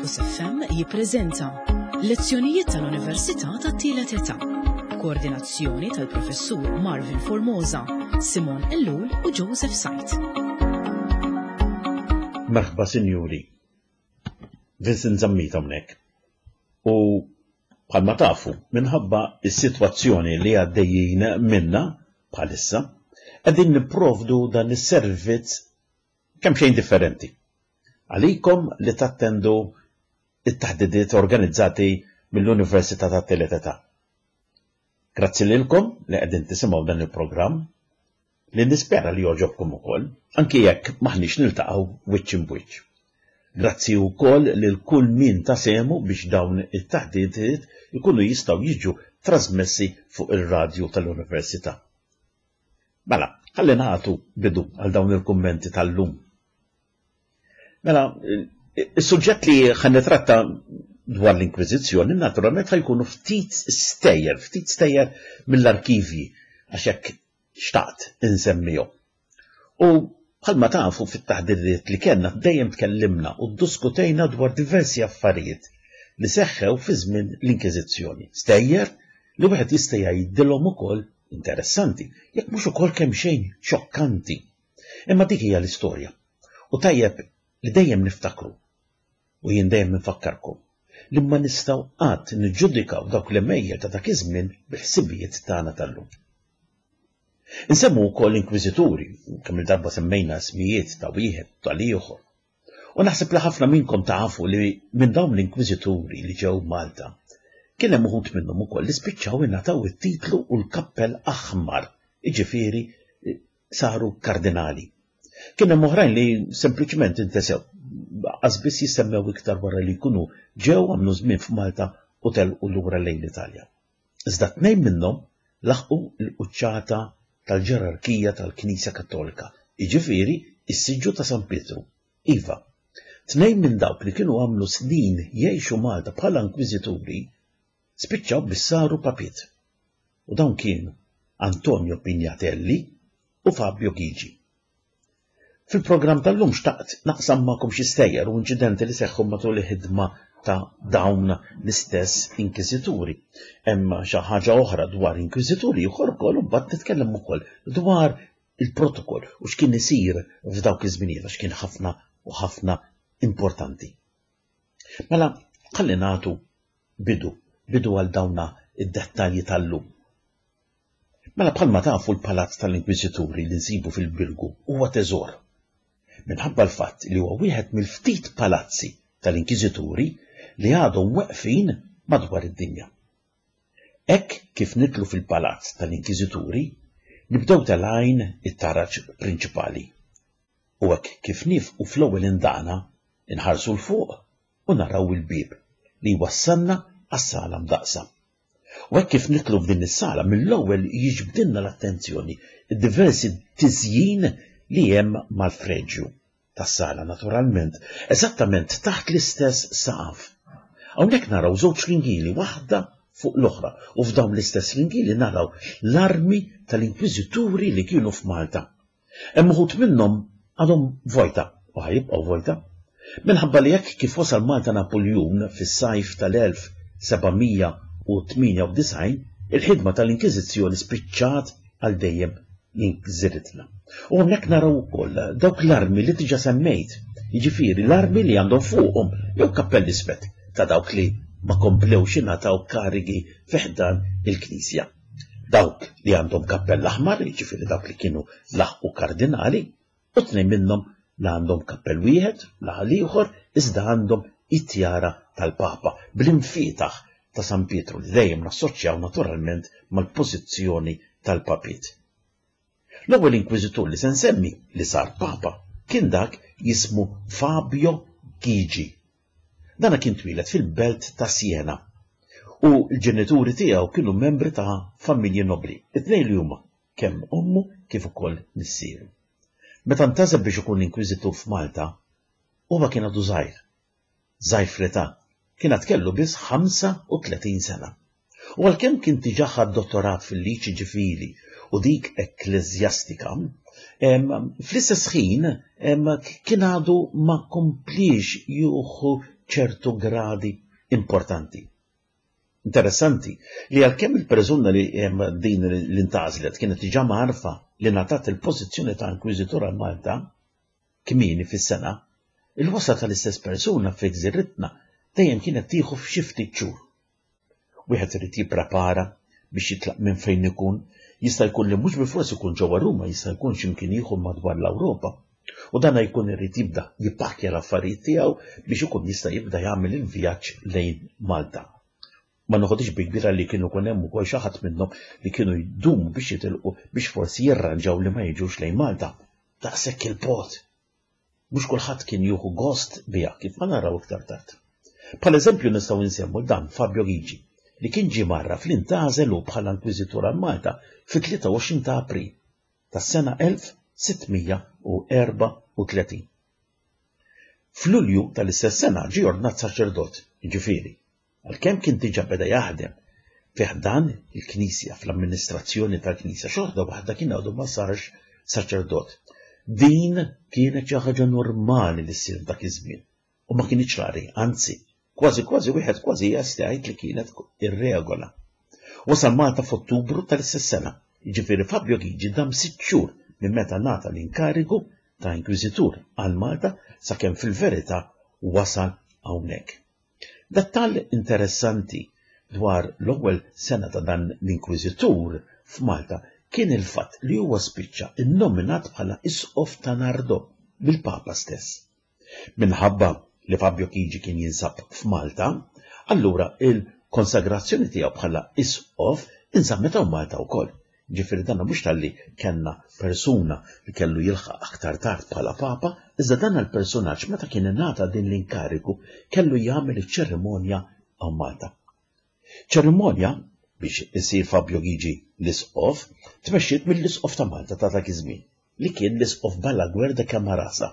Campus FM jippreżenta Lezzjonijiet tal-Università tat-Tielet Età. Koordinazzjoni tal-Professur Marvin Formosa, Simon Ellul u Joseph Sajt. Merħba sinjuri. Vincent Zammit hawnhekk. U bħalma tafu, minħabba s-sitwazzjoni li għaddejjin minna bħalissa, qegħdin nipprovdu dan is-servizz kemm xejn differenti. Għalikom li tattendu it-taħdidiet organizzati mill-Università tat-Tielet Età. Grazzi lilkom li qegħdin tisimgħu dan il-programm li nispera li jogħġobkom ukoll, anki jekk m'aħniex niltaqgħu wiċċ imb'wiċċ. Grazzi wkoll lil kull min ta sehmu biex dawn it-taħdidiet ikunu jistgħu jiġu trasmessi fuq ir-radju tal-Università. Mela, ħalli nagħtu bidu għal dawn il-kummenti tal-lum. Mela, is-suġġett li ħa nitratta dwar l-Inkwiżizzjoni naturalment ħa jkunu ftit stejjer, ftit stejjer mill-arkivji għax hekk xtaqt insemmihom. U bħalma tafu fit-taħdidiet li kellna dejjem tkellimna u dduskutejna dwar diversi affarijiet li seħħew fi żmien l-Inkiżizzjoni. Stejjer li wieħed jista' jgħidilhom ukoll interessanti, jekk mhux ukoll kemm xejn xokkanti. Imma dik hija l-istorja. U tajjeb li dejjem niftakru, u jien dejjem infakkarkom, li ma nistgħu qatt niġġudikaw dawk l-għemejjel ta' dak iż-żmien bil-ħsibijiet tagħna tal-lum. Insemmu wkoll inkwiżituri, kemm il-darba semmejna ismijiet ta' wieħed tal-ieħor. U naħseb li ħafna minnkom tafu li minn dawn l-inkwiżituri li ġew Malta, kien hemm uħud minnhom ukoll li spiċċaw ingħataw it-titlu u l-kappell aħmar, jiġifieri saru kardinali. Kien hemm oħrajn li sempliċement intesew, qas biss jissemmew iktar wara li jkunu ġew għamlu żmien f'Malta u telqu lura lejn l-Italja. Iżda tnejn minnhom laħqu l-quċċata tal-ġerarkija tal-Knisja Kattolika, jiġifieri s-siġġu ta' San Pietru. Iva, tnejn minn dawk li kienu għamlu snin jgħixu Malta bħala inkwiżituri spiċċaw biex saru papiet. U dawn kienu Antonio Pignatelli u Fabio Ghigi. Fil-programm tal-lum xtaqt naqsam magħkom xi stejjer u inċidenti li seħħu matul il-ħidma ta' dawn l-istess inkwiżituri. Hemm xi ħaġa oħra dwar inkwiżituri ieħor ukoll u mbagħad nitkellem ukoll dwar il-protokoll u x'kien isir f'dawk iż-żminijiet għax kien ħafna u ħafna importanti. Mela, ħalli nagħtu bidu, bidu għal dawna id-dettalji tal-lum. Mela bħalma tafu l-Palazz tal-Inkwiżituri li nsibu fil-Birgu huwa teżor. Minħabba l-fatt li huwa wieħed mill-ftit palazzi tal-Inkwiżituri li għadhom weqfin madwar id-dinja. Hekk kif nidħlu fil-Palazz tal-Inkwiżituri, nibdew telgħin it-taraġ prinċipali. U hekk kif niefqu fl-ewwel indana, inħarsu 'l fuq u naraw il-bieb li jwassalna għas-sala mdaqqsa. U hekk kif nidħlu f'din is-sala mill-ewwel jiġbdilna l-attenzjoni d-diversi tiżjin li hemm mal-freġju tas-sala naturalment, eżattament taħt l-istess saqaf. Hawnhekk naraw żewġ ringili waħda fuq l-oħra u f'dawn l-istess ringili naraw l-armi tal-inkwiżituri li kienu f'Malta. Hemm uħud minnhom għadhom vojta u ħa jibqgħu vojta. Minħabba li hekk kif wasal Malta Napuljun fis-sajf tal-1798, il-ħidma tal-Inkiżizzjoni spiċċat għal dejjem jinkżiritna. U hawnhekk naraw ukoll dawk l-armi li diġà semmejt, jiġifieri l-armi li għandhom fuqhom jew kappell iswed ta' dawk li ma komplewx ingħataw karigi fi ħdan il-Knisja. Dawk li għandhom kappell aħmar, jiġifieri dawk li kienu laħqu kardinali, u tnejn minnhom la għandhom kappell wieħed, la l-ieħor, iżda għandhom it-tjara tal-Papa bl-imfietaħ ta' San Pietru li dejjem nassoċjaw naturalment mal-pożizzjoni tal-papiet. L-ewwel inkwiżitur li se nsemmi li sar Papa kien dak jismu Fabio Ghigi. Dana kien twieled fil-belt ta' Siena u l-ġenituri tiegħu kienu membri ta' familji nobbli, it-tnejn li huma, kemm ommu kif ukoll missieru. Meta ntgħażel biex ikun inkwiżitur f'Malta, huwa kien għadu żgħir. Żgħir fl-età, kien għad kellu biss 35 sena. U għalkemm kien diġà ħa dottorat fil-liġi ċivili u dik ekkleżjastika, fl-istess ħin kien għadu ma kompliex jieħu ċertu gradi importanti. Interessanti li għalkemm il-persuna li din li ntgħażlet kienet diġà mgħarrfa li ngħatat il-pożizzjoni ta' Inkwiżitur għal Malta kmieni fis-sena, il-wasla tal-istess persuna fi gżiritna dejjem kienet tieħu f'xi ftit xhur. Wieħed irid jipprepara biex jitlaq minn fejn ikun, jista' jkun li mhux bilfors ikun ġewwa Ruma, jista' jkun xi mkien ieħor madwar l-Ewropa. U dan jkun irid jibda jippakkja l-affarijiet tiegħu biex ikun jista' jibda jagħmel il-vjaġġ lejn Malta. Ma noħodhiex bi kbira li kien ikun hemm ukoll xi ħadd minnhom li kienu jdumu biex jitilqu biex forsi jirranġaw li ma jiġux lejn Malta. Daqshekk il-bogħod! Mhux kulħadd kien jieħu gost biha kif ma naraw iktar tard. Bħala eżempju nistgħu nsemmu 'l dan Fabio Ghigi li kien ġie mgħarraf li ntgħażel hu bħala Inkwiżitur għal Malta fit-23 ta' April tas-sena 1634. F'Lulju tal-istess sena ġie ordnat saċerdot, jiġifieri, Għalkemm kien diġà beda jaħdem fi ħdan il-Knisja, fl-amministrazzjoni tal-Knisja, xorta waħda kien għadu ma sarx saċerdot. Din kienet xi ħaġa normali li ssir f'dak iż-żmien u ma kinitx rari, anzi, kważi kważi wieħed kważi jista' jgħid li kienet ir-regola. Wasal Malta f'Ottubru tal-istess sena, jiġifieri Fabio Ghigi dam sitt xhur minn meta ngħata l-inkarigu ta' Inkwiżitur għal Malta sakemm fil-verità wasal hawnhekk. Dettall interessanti dwar l-ewwel sena ta' dan l-Inkwiżitur f'Malta kien il-fatt li huwa spiċċa nnominat bħala Isqof ta' Nardò mill-Papa stess. Minħabba li Fabio Chigi kien jinsab f'Malta, allura il-konsagrazzjoni tiegħu bħala Isqof inżammet hawn Malta wkoll. Jiġifieri dan mhux talli kellna persuna li kellu jilħaq aktar tard bħala Papa, iżda dan l-persunaġġ meta kien ingħata din l-inkarigu kellu jagħmel iċ-ċerimonja hawn Malta. Ċerimonja biex isir Fabio Ghigi l-Isqof tmexxiet mill-Isqof ta' Malta ta' dak iż-żmien, li kien l-Isqof Balaguer de Camarasa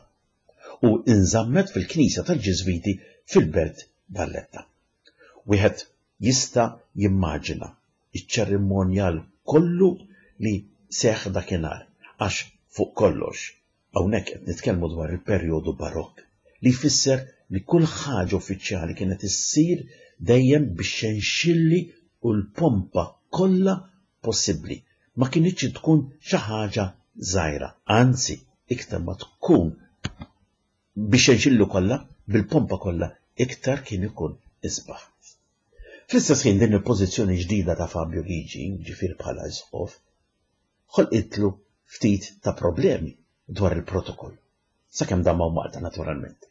u inżammet fil-Knisja tal-Ġiżwiti fil-Belt Valletta. Wieħed jista' jimmaġina iċ-ċerimonjal kollu li seħħ dakinhar, għax fuq kollox, hawnhekk qed nitkellmu dwar il-perjodu Barokk, li jfisser li kull ħaġa uffiċjali kienet issir dejjem bix-xenxilli u l-pompa kollha possibbli. Ma kinitx tkun xi ħaġa żgħira, anzi iktar ma tkun bix-xenxilli kollha, bil-pompa kollha, iktar kien ikun isbaħ. Fl-istess ħin din il-pożizzjoni ġdida ta' Fabio Ghigi, ġifieri bħala isqof, ħolqitlu ftit ta' problemi dwar il-protokoll, sakemm dam hawn Malta naturalment.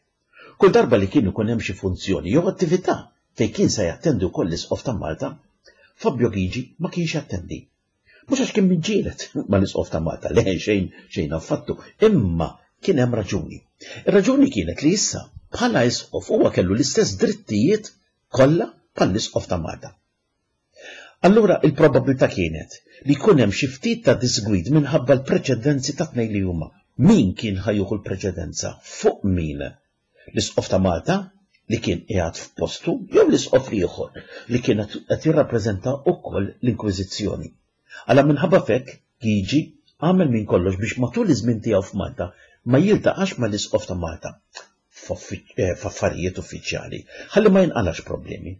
Kull darba li kien ikun hemm xi funzjoni jew attività fejn kien se jattendi wkoll l-Isqof ta' Malta, Fabio Ghigi ma kienx jattendi. Mhux għax kien miġġieled mal-Isqof ta' Malta, le xejn xejn affattu, imma kien hemm raġuni. Ir-raġuni kienet li issa bħala Isqof huwa kellu l-istess drittijiet kollha bħall-Isqof ta' Malta. Allura il-probabilità kienet li jkun hemm xi ftit ta' disgwid minħabba l-preċedenzi ta' tnejn li huma. Min kien ħa jieħu l-preċedenza fuq min? L-Isqof ta' Malta li kien qiegħed f'postu jew l-Isqof l-ieħor li kien qed jirrappreżenta wkoll l-Inkwiżizzjoni. Alla minħabba f'hekk Gigi għamel minn kollox biex matul iż-żmien tiegħu f'Malta ma jiltaqax mal-Isqof ta' Malta f'affarijiet uffiċjali ħalli ma jinqalax problemi.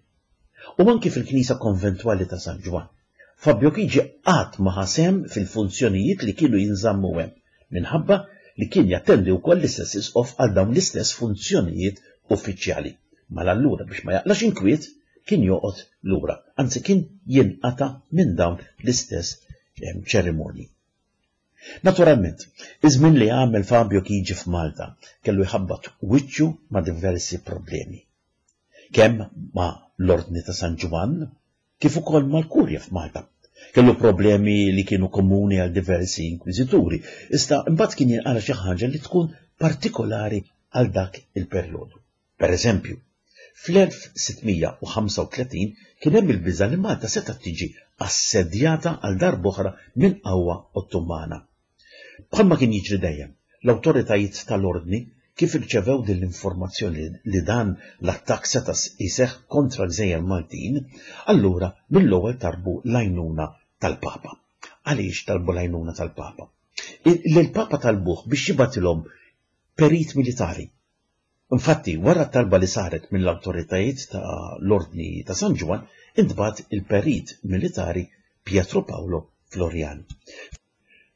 U anki fil-knisja konventwali ta' San Ġwann, Fabio Chigi qatt ma ħa sehem fil-funzjonijiet li kienu jinżammu hemm, minħabba li kien jattendi wkoll l-istess isqof għal dawn l-istess funzjonijiet uffiċjali. Mela allura biex ma jaqlax inkwiet kien joqgħod lura, anzi kien jinqata' minn dawn l-istess ċerimonji. Naturalment, iż-żmien li għamel Fabio Chigi f'Malta kellu jħabbat wiċċu ma' diversi problemi. Kemm ma' l-Ordni ta' San Ġwann, kif ukoll mal-Kurja f'Malta. Kellu problemi li kienu komuni għal diversi inkwiżituri, iżda imbagħad kien jinqala' xi ħaġa li tkun partikolari għal dak il-perjodu. Per eżempju, fl-1635 kien hemm il-biża' li Malta setgħet tiġi assedjata għal darb'oħra minn qawwa Ottomana. Bħalma kien jiġri dejjem, l-awtoritajiet tal-Ordni kif irċevew din l-informazzjoni li dan l-attakk seta' jseħħ kontra l-gżejjer Maltin, allura mill-ewwel talbu l-għajnuna tal-Papa. Għaliex talbu l-għajnuna tal-Papa? Lill-Papa talbuh biex jibgħatilhom perit militari. Infatti, wara t-talba li saret mill-awtoritajiet ta' l-Ordni ta' San Ġwann, intbagħat il-perit militari Pietro Paolo Floriani.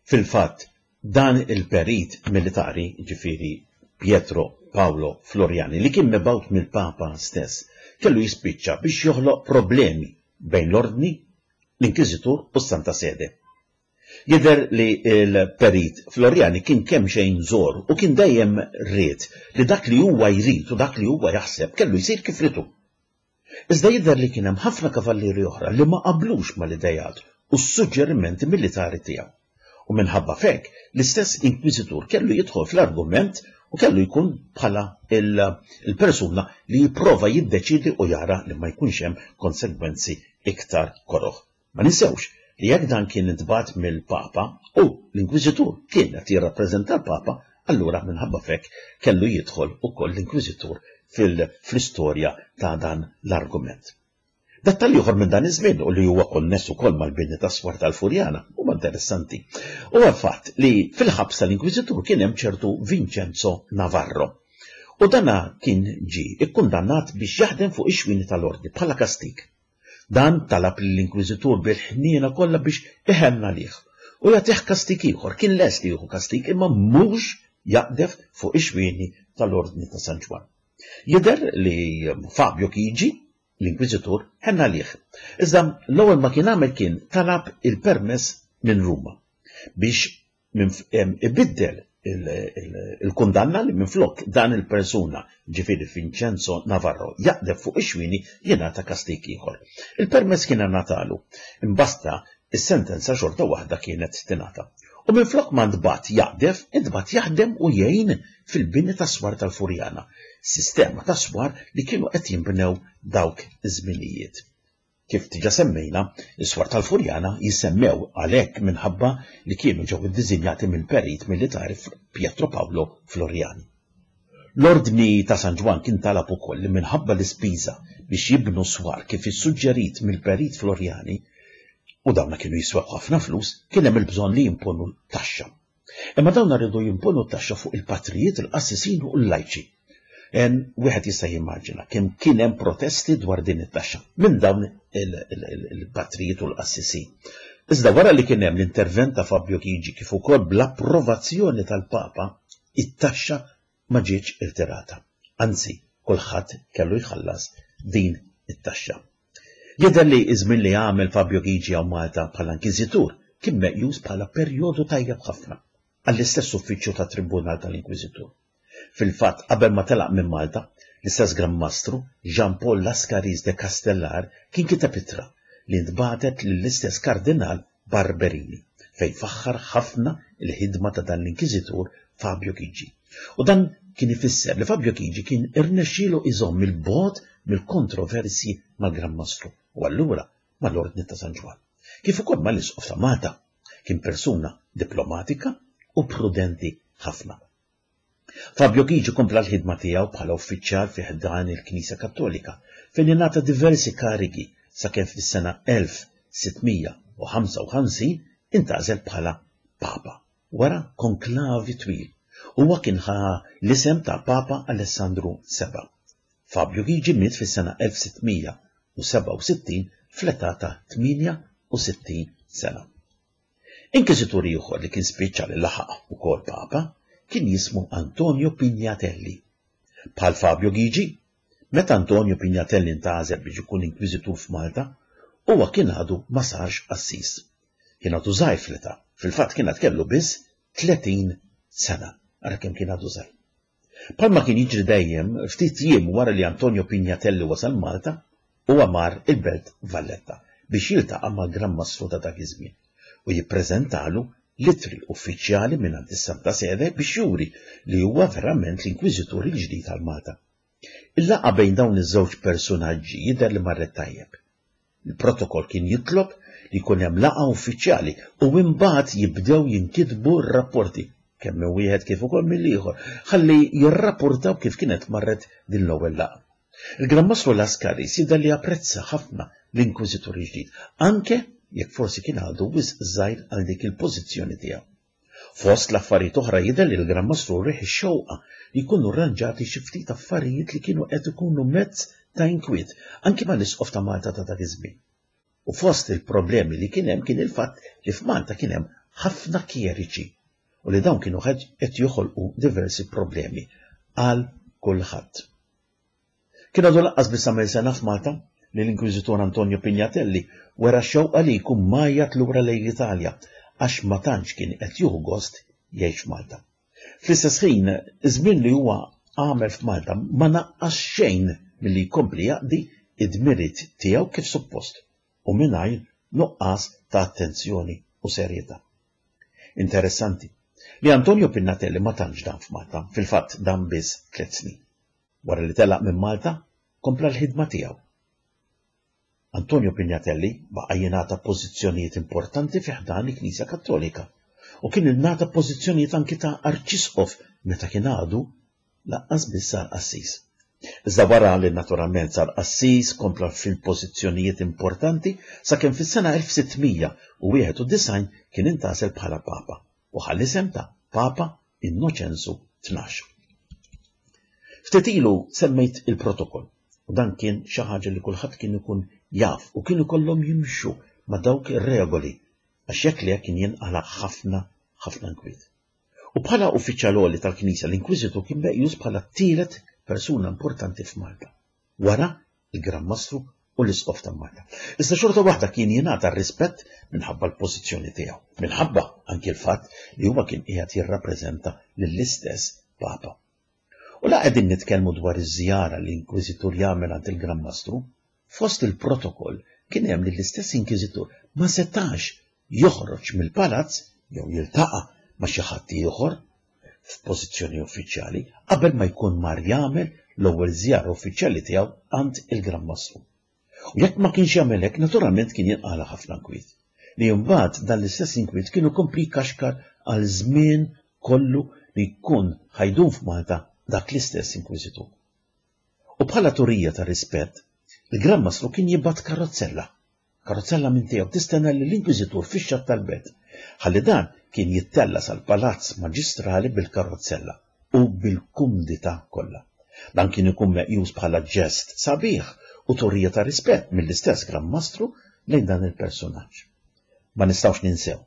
Fil-fatt, dan il-perit militari, jiġifieri Pietro Paolo Floriani, li kien mibgħut mill-Papa stess, kellu jispiċċa biex joħloq problemi bejn l-Ordni, l-Inkwiżitur u s-Santa Sede. Jidher li l-Perit Floriani kien kemxejn żgħor u kien dejjem ried li dak li huwa jrid u dak li huwa jaħseb kellu jsir kif ried hu. Iżda jidher li kien hemm ħafna kavallieri oħra li ma qablux mal-ideat u s-suġġerimenti militari tiegħu. U minħabba f'hekk, l-istess Inkwiżitur kellu jidħol fl-argument u kellu jkun bħala l-persuna li jipprova jiddeċiedi u jara li ma jkunx hemm konsegwenzi iktar koroh. Ma ninsewx li jekk dan kien intbagħat mill-Papa u l-Inkwiżitur kien qed jirrappreżenta l-Papa, allura minħabba f'hekk kellu jidħol ukoll l-Inkwiżitur fl-istorja ta' dan l-argument. Dettall ieħor minn dan iż-żmien u li huwa konness ukoll mal-bini tas-swar tal-Furjana huwa interessanti. Huwa l-fatt li fil-ħabs tal-Inkwiżitur kien hemm ċertu Vincenzo Navarro. U dana kien ġie kkundannat biex jaħdem fuq ix-xwieni tal-Ordni bħala kastig. Dan talab lill-Inkwiżitur bil-ħniena kollha biex iħenn għalih u jagħtih kastig ieħor. Kien lest li jieħu kastig imma mhux jaqdef fuq ix-xwieni tal-Ordni ta' San Ġwann. Jidher li Fabio Chigi, l-Inkwiżitur, ħenn għalih. Iżda l-ewwel ma kien għamel kien talab il-permess minn Ruma biex ibiddel il-kundanna li minflok dan il-persuna, ġifieri Vincenzo Navarro, jaqdef fuq ix-xwieni jingħata kastig ieħor. Il-permess kien ingħatalu, imbasta is-sentenza xorta waħda kienet tingħata. U minflok ma ntbagħat jaqdef, intbagħat jaħdem u jgħin fil-bini tas-swar tal-Furjana, sistema ta' swar li kienu qed jinbnew dawk iż-żminijiet. Kif diġà semmejna, is-swar tal-Furjana jissemmew għalhekk minħabba li kienu ġew iddiżinjati mill-perit militari Pietro Paolo Floriani. L-Ordni ta' San Ġwann kien talab ukoll li minħabba l-ispiża biex jibnu swar kif issuġġerit mill-perit Floriani, u dawna kienu jiswew ħafna flus, kien hemm il-bżonn li jimponu taxxa. Imma dawn riedu jimponu t-taxxa fuq il-patrijiet, il-qassisin u l-lajċi. Wieħed jista' jimmaġina kemm kien hemm protesti dwar din it-taxxa minn dawn il-patrijiet u l-qassisin. Iżda wara li kien hemm l-intervent ta' Fabio Chigi kif ukoll bl-approvazzjoni tal-Papa, it-taxxa ma ġietx irtirata. Anzi, kulħadd kellu jħallas din it-taxxa. Jidher li ż-żmien li għamel Fabio Ghigi hawn Malta bħala Inkwiżitur kien meqjus bħala perjodu tajjeb ħafna għall-istess uffiċċju tat-Tribunal tal-Inkwiżitur. Fil-fatt, qabel ma telaq minn Malta, l-istess Gran Mastru, Jean Paul Lascaris de Castellar, kien kiteb ittra li ntbagħtet lill-istess Kardinal Barberini, fejn faħħar ħafna l-ħidma ta' dan l-Inkwiżitur Fabio Chigi. U dan kien ifisser li Fabio Chigi kien irnexxielu iżomm 'il bogħod mill-kontroversji mal-Gran Mastru u allura mal-Ordni ta' San Ġwann, kif ukoll mal-Isqof ta' Malta. Kien persuna diplomatika u prudenti ħafna. Fabio Chigi kompla l-ħidma tiegħu bħala uffiċjal fi ħdan il-Knisja Kattolika, fejn ingħata diversi karigi sakemm fis-sena 1655 intgħażel bħala Papa, wara konklavi twil. Huwa kien ħa l-isem ta' Papa Alessandru Seba'. Fabio Chigi miet fis-sena 1667 fl-età ta' 68 sena. Inkwiżitur ieħor li kien spiċċa li laħaq ukoll Papa kien jismu Antonio Pignatelli. Bħal Fabio Ghigi, meta Antonio Pignatelli ntgħażel biex ikun inkwiżitur f'Malta, huwa kien għadu ma sarx qassis. Kien għadu żgħir fl-età, fil-fatt kien għad kellu biss 30 sena. Ara kemm kien għadu żgħir. Bħalma kien jiġri dejjem, ftit jiem wara li Antonio Pignatelli wasal Malta, huwa mar il-Belt Valletta biex jiltaqa' mal-Gran Mastru ta' dak iż-żmien u jippreżentalu l-ittri uffiċjali mingħand is-Santa Sede biex juri li huwa verament l-Inkwiżitur il-ġdid għal Malta. Il-laqgħa bejn dawn iż-żewġ persunaġġi jidher li marret tajjeb. Il-protokoll kien jitlob li jkun hemm laqgħa uffiċjali u imbagħad jibdew jinkitbu r-rapporti, kemm minn wieħed kif ukoll mill-ieħor, ħalli jirrapportaw kif kienet marret din l-ewwel laqgħa. Il-Gran Mastru Lascaris jidher li apprezza ħafna l-Inkwiżitur il-ġdid, anke jekk forsi kien għadu wisq żgħir għal dik il-pożizzjoni tiegħu. Fost l-affarijiet oħra jidher li l-Gran Mastru wrieh ix-xewqa li jkunu rranġati xi ftit affarijiet li kienu qed ikunu mezz ta' inkwiet anki mal-Isqof ta' Malta ta' dak iż-żmien. U fost il-problemi li kien hemm kien il-fatt li f'Malta kien hemm ħafna kjeriċi u li dawn kienu qed joħolqu diversi problemi għal kulħadd. Kien għadu lanqas biss għamel sena f'Malta li l-Inkwiżitur Antonio Pignatelli wera x-xewqa li jkun mgħajjat lura lejn l-Italja għax ma tantx kien qed jieħu gost jgħix f'Malta. Fl-istess ħin, iż-żmien li huwa għamel f'Malta ma naqqas xejn milli jkompli jaqdi d-dmiriet tiegħu kif suppost u mingħajr nuqqas ta' attenzjoni u serjetà. Interessanti li Antonio Pignatelli ma tantx dam f'Malta, fil-fatt dam biss tliet snin. Wara li telaq minn Malta, kompla l-ħidma tiegħu. Antonio Pignatelli baqa' jingħata pożizzjonijiet importanti fi ħdan il-Knisja Kattolika u kien ingħata pożizzjonijiet anki ta' Arċisqof meta kien għadu lanqas biss sar qassis. Iżda wara li naturalment sar qassis kompla fil-pożizzjonijiet importanti sakemm fis-sena 1691 kien intgħażel bħala Papa u ħa l-isem ta' Papa Innoċenzu 12. Ftit ilu semmejt il-protokoll u dan kien xi ħaġa li kulħadd kien ikun jaf u kien ikollhom jimxu ma' dawk ir-regoli għax jekk le kien jinqala' ħafna ħafna nkwiet. U bħala uffiċjal għoli tal-Knisja l-Inkwiżitur kien meqjus bħala t-tielet persuna importanti f'Malta, wara il-Gran Mastru u l-Isqof ta' Malta. Iżda xorta waħda kien jingħata r-rispett minħabba l-pożizzjoni tiegħu, minħabba anki l-fatt li huwa kien qiegħed jirrappreżenta lill-istess Papa. U la qegħdin nitkellmu dwar iż-żjara li inkwiżitur jagħmel għand il-Gran Mastru, fost il-protokoll kien hemm li l-istess inkwiżitur ma setax joħroġ mill-palazz jew jiltaqa' ma' xi ħadd ieħor f'pożizzjoni uffiċjali qabel ma jkun mar jagħmel l-ewwel żjara uffiċjali tiegħu għand il-Gran Mastru. U jekk ma kienx jagħmel hekk naturalment kien jinqala' ħafna nkwiet. Li mbagħad dan l-istess inkwiet kien ikompli jkaxkar għal żmien kollu li jkun ħa jdum f'Malta dak l-istess inkwiżitur. U bħala turija ta' rispett, il-Gran Mastru kien jibgħat karozzella Karozzella minn tiegħu tistenna lill-Inkwiżitur fix-xatt tal-belt, ħalli dan kien jittella' sal-Palazz Maġistrali bil-karozzella u bil-kumdità kollha. Dan kien ikun meqjus bħala ġest sabiħ u turija ta' rispett mill-istess Gran Mastru lejn dan il-persunaġġ. Ma nistgħux ninsew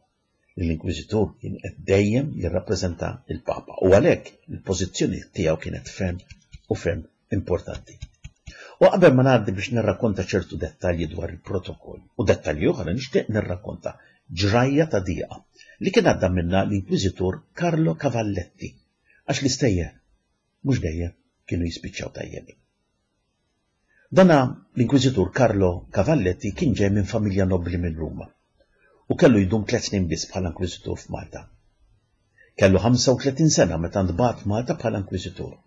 li l-Inkwiżitur kien qed dejjem jirrappreżenta l-Papa u għalhekk il-pożizzjoni tiegħu kienet ferm u ferm importanti. U qabel ma ngħaddi biex nirrakkonta ċertu dettalji dwar il-protokoll u dettalji oħra nixtieq nirrakkonta ġrajja ta' dieqa li kien għadda minnha l-Inkwiżitur Carlo Cavalletti għax l-istejjer mhux dejjem kienu jispiċċaw tajjeb. Dana l-Inkwiżitur Carlo Cavalletti kien ġej minn familja nobbli minn Ruma u kellu jdum tliet snin biss bħala Inkwiżitur f'Malta. Kellu 35 sena meta ntbagħat Malta bħala Inkwiżitur.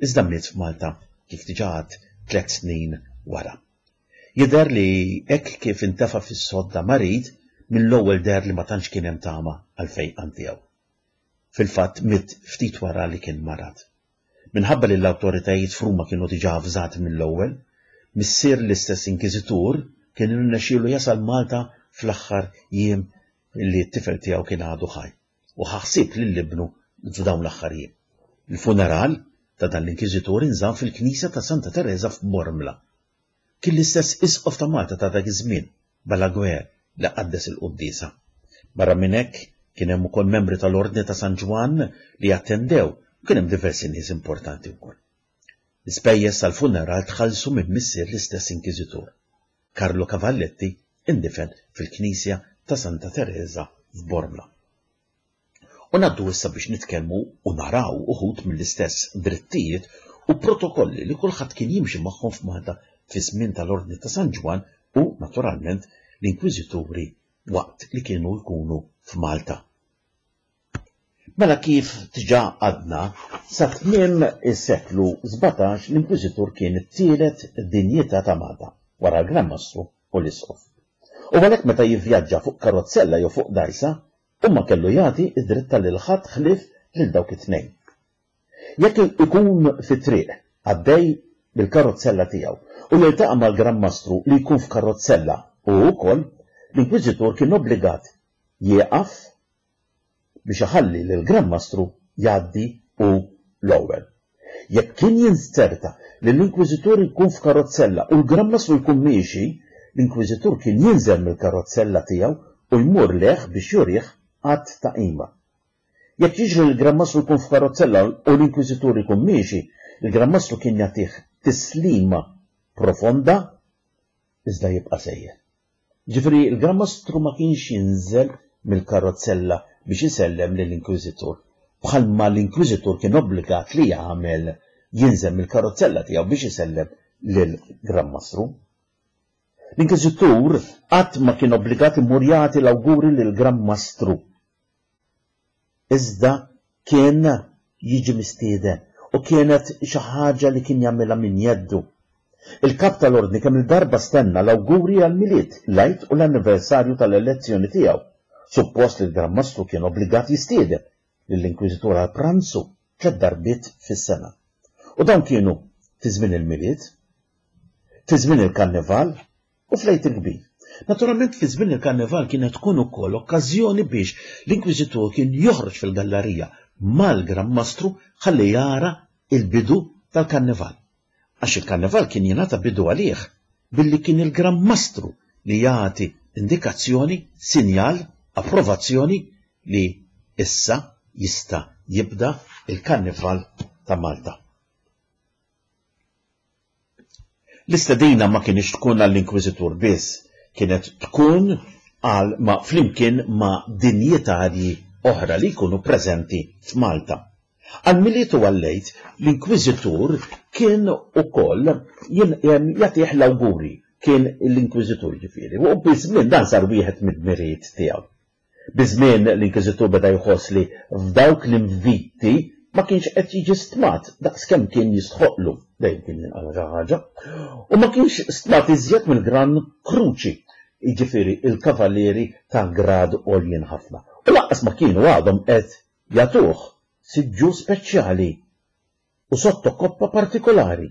Iżda miet f'Malta, kif diġà għedt, tliet snin wara. Jidher li hekk kif intefa' fis-sodda marid, mill-ewwel deher li ma tantx kien hemm tama għall-fejqan tiegħu. Fil-fatt miet ftit wara li kien marad. Minħabba li l-awtoritajiet f'Ruma kienu diġà avżati mill-ewwel, missier l-istess inkiżitur kien irnexxielu jasal Malta fl-aħħar jiem li t-tifel tiegħu kien għadu ħaj u ħa ħsieb lil ibnu f'dawn l-aħħar jiem. Il-funeral ta' dan l-inkiżitur inżamm fil-knisja ta' Santa Tereża f'Bormla. Kien l-istess Isqof ta' Malta ta' dak iż-żmien, Balaguer, li qaddes il-quddiesa. Barra minn hekk, kien hemm ukoll membri tal-Ordni ta' San Ġwann li attendew u kien hemm diversi nies importanti wkoll. L-ispejjeż tal-funeral tħallsu minn missier l-istess Inkiżitur. Carlo Cavalletti indifen fil-Knisja ta' Santa Tereża f'Bormla. U ngħaddu issa biex nitkellmu u naraw uħud mill-istess drittijiet u protokolli li kulħadd kien jimxi magħhom f'Malta fiż-żmien tal-Ordni ta' San Ġwann u, naturalment, l-Inkwiżituri waqt li kienu jkunu f'Malta. Mela kif diġà għadna, sa tmiem is-seklu 17 l-Inkwiżitur kien it-tielet dinjità ta' Malta, wara l-Gran Mastru u l-Isqof. U għalhekk meta jivvjaġġa fuq karozzella jew fuq dgħajsa, Hu ma kellu jagħti d-dritta lil ħadd ħlief lil dawk it-tnejn. Jekk ikun fit-triq għaddej bil-karozzella tiegħu u jiltaqa' mal-Gran Mastru li jkun f'karozzella hu wkoll, l-Inkwiżitur kien obbligat jieqaf biex iħalli lill-Gran Mastru jgħaddi hu. L-ewwel, jekk kien jinzerta li l-Inkwiżitur jkun f'karozzella u l-Gran Mastru jkun miexi, l-Inkwiżitur kien jinżel mill-karozzella tiegħu u jmur lejh biex jurih att ta' qima. Jekk jiġri li l-Gran Mastru jkun f'karozzella u l-Inkwiżitur jkun miexi, il-Gran Mastru kien jagħtih tislima profonda iżda jibqa' sejjer. Jiġifieri l-Gran Mastru ma kienx jinżel mill-karozzella biex isellem lill-Inkwiżitur, bħalma l-Inkwiżitur kien obbligat li jagħmel, jinżel mill-karozzella tiegħu biex isellem lill-Gran Mastru. L-Inkwiżitur qatt ma kien obbligat imur jagħti l-awguri lill-Gran Mastru. Iżda kien jiġi mistieden u kienet xi ħaġa li kien jagħmilha minn jeddu. Il-Kap tal-Ordni kemm-il darba stenna l-awguri għall-Milied, l-Għid u l-anniversarju tal-elezzjoni tiegħu. Suppost li l-Gran Mastru kien obbligat jistieden lill-Inkwiżitur għal pranzu tlett darbiet fis-sena. U dawn kienu fi żmien il-Milied, fi żmien il-Karnival u fl-Għid il-Kbir. Naturalment fi żmien il-Karnival kienet tkun ukoll okkażjoni biex l-Inkwiżitur kien joħroġ fil-gallarija mal-Gran Mastru ħalli jara l-bidu tal-Karnival. Għax il-Karnival kien jingħata bidu għalih billi kien il-Gran Mastru li jagħti indikazzjoni, sinjal, approvazzjoni li issa jista' jibda l-Karnival ta' Malta. L-istedina ma kinitx tkun għall-Inkwiżitur biss, kienet tkun għal ma' flimkien ma' dinjitarji oħra li jkunu preżenti f'Malta. Għall-Milied u għall-Għid, l-Inkwiżitur kien ukoll jagħtih l-awguri, kien l-Inkwiżitur jiġifieri, u biż-żmien dan sar wieħed mid-dmirijiet tiegħu. Biż-żmien l-Inkwiżitur beda jħoss li f'dawk l-inviti ma kienx qed jiġi stmat daqs kemm kien jistħoqqlu, dejjem kien jinqala' xi ħaġa, u ma kienx stmat iżjed mill-Gran Kruċi, jiġifieri l-kavallieri ta' grad għoljin ħafna, u lanqas ma kienu għadhom qed jagħtuh siġġu speċjali u sottokoppa partikolari.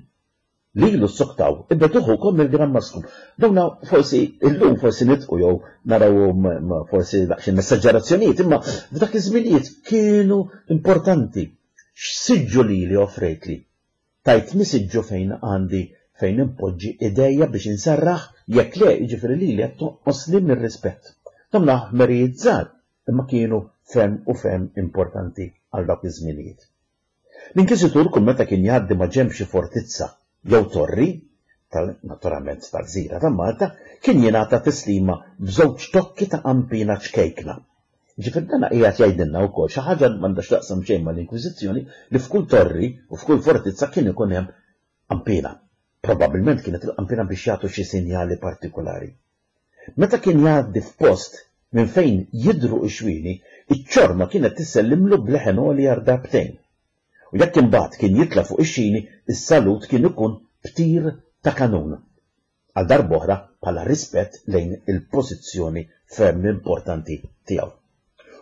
Lilu ssoktaw, ibegħduh ukoll mill-Gran Mastru. Dawna forsi illum forsi nidħku jew narawhom forsi daqsxejn esaġerazzjonijiet, imma f'dak iż-żminijiet kienu importanti. X'siġġu lili offrejtli? Tajtni siġġu fejn għandi fejn inpoġġi idejja biex inserraħ? Jekk le, jiġifieri lili qed tonqosli mir-rispett. Dawn ħmerijiet żgħar, imma kienu ferm u ferm importanti għal dawk iż-żminijiet. L-Inkwiżitur kull meta kien jgħaddi ma' ġenb xi fortizza jew torri, tal, naturalment tal-gżira ta' Malta, kien jingħata tislima b'żewġ tokki ta' qanpiena ċkejkna. Jiġifieri dan qiegħed jgħidilna wkoll xi ħaġa li m'għandha x'taqsam xejn mal-Inkwiżizzjoni li f'kull torri u f'kull fortizza kien ikun hemm qanpiena. Probabbilment kienet il-qanpiena biex jagħtu xi sinjali partikulari. Meta kien jgħaddi f'post minn fejn jidhru x-xwieni, iċ-ċorma kienet tissellimlu b'leħen għoli għal darbtejn. U jekk imbagħad kien jitla' fuq ix-xini, is-salut kien ikun b'tir ta' kanun. Għal darb'oħra bħala rispett lejn il-pożizzjoni ferm importanti tiegħu.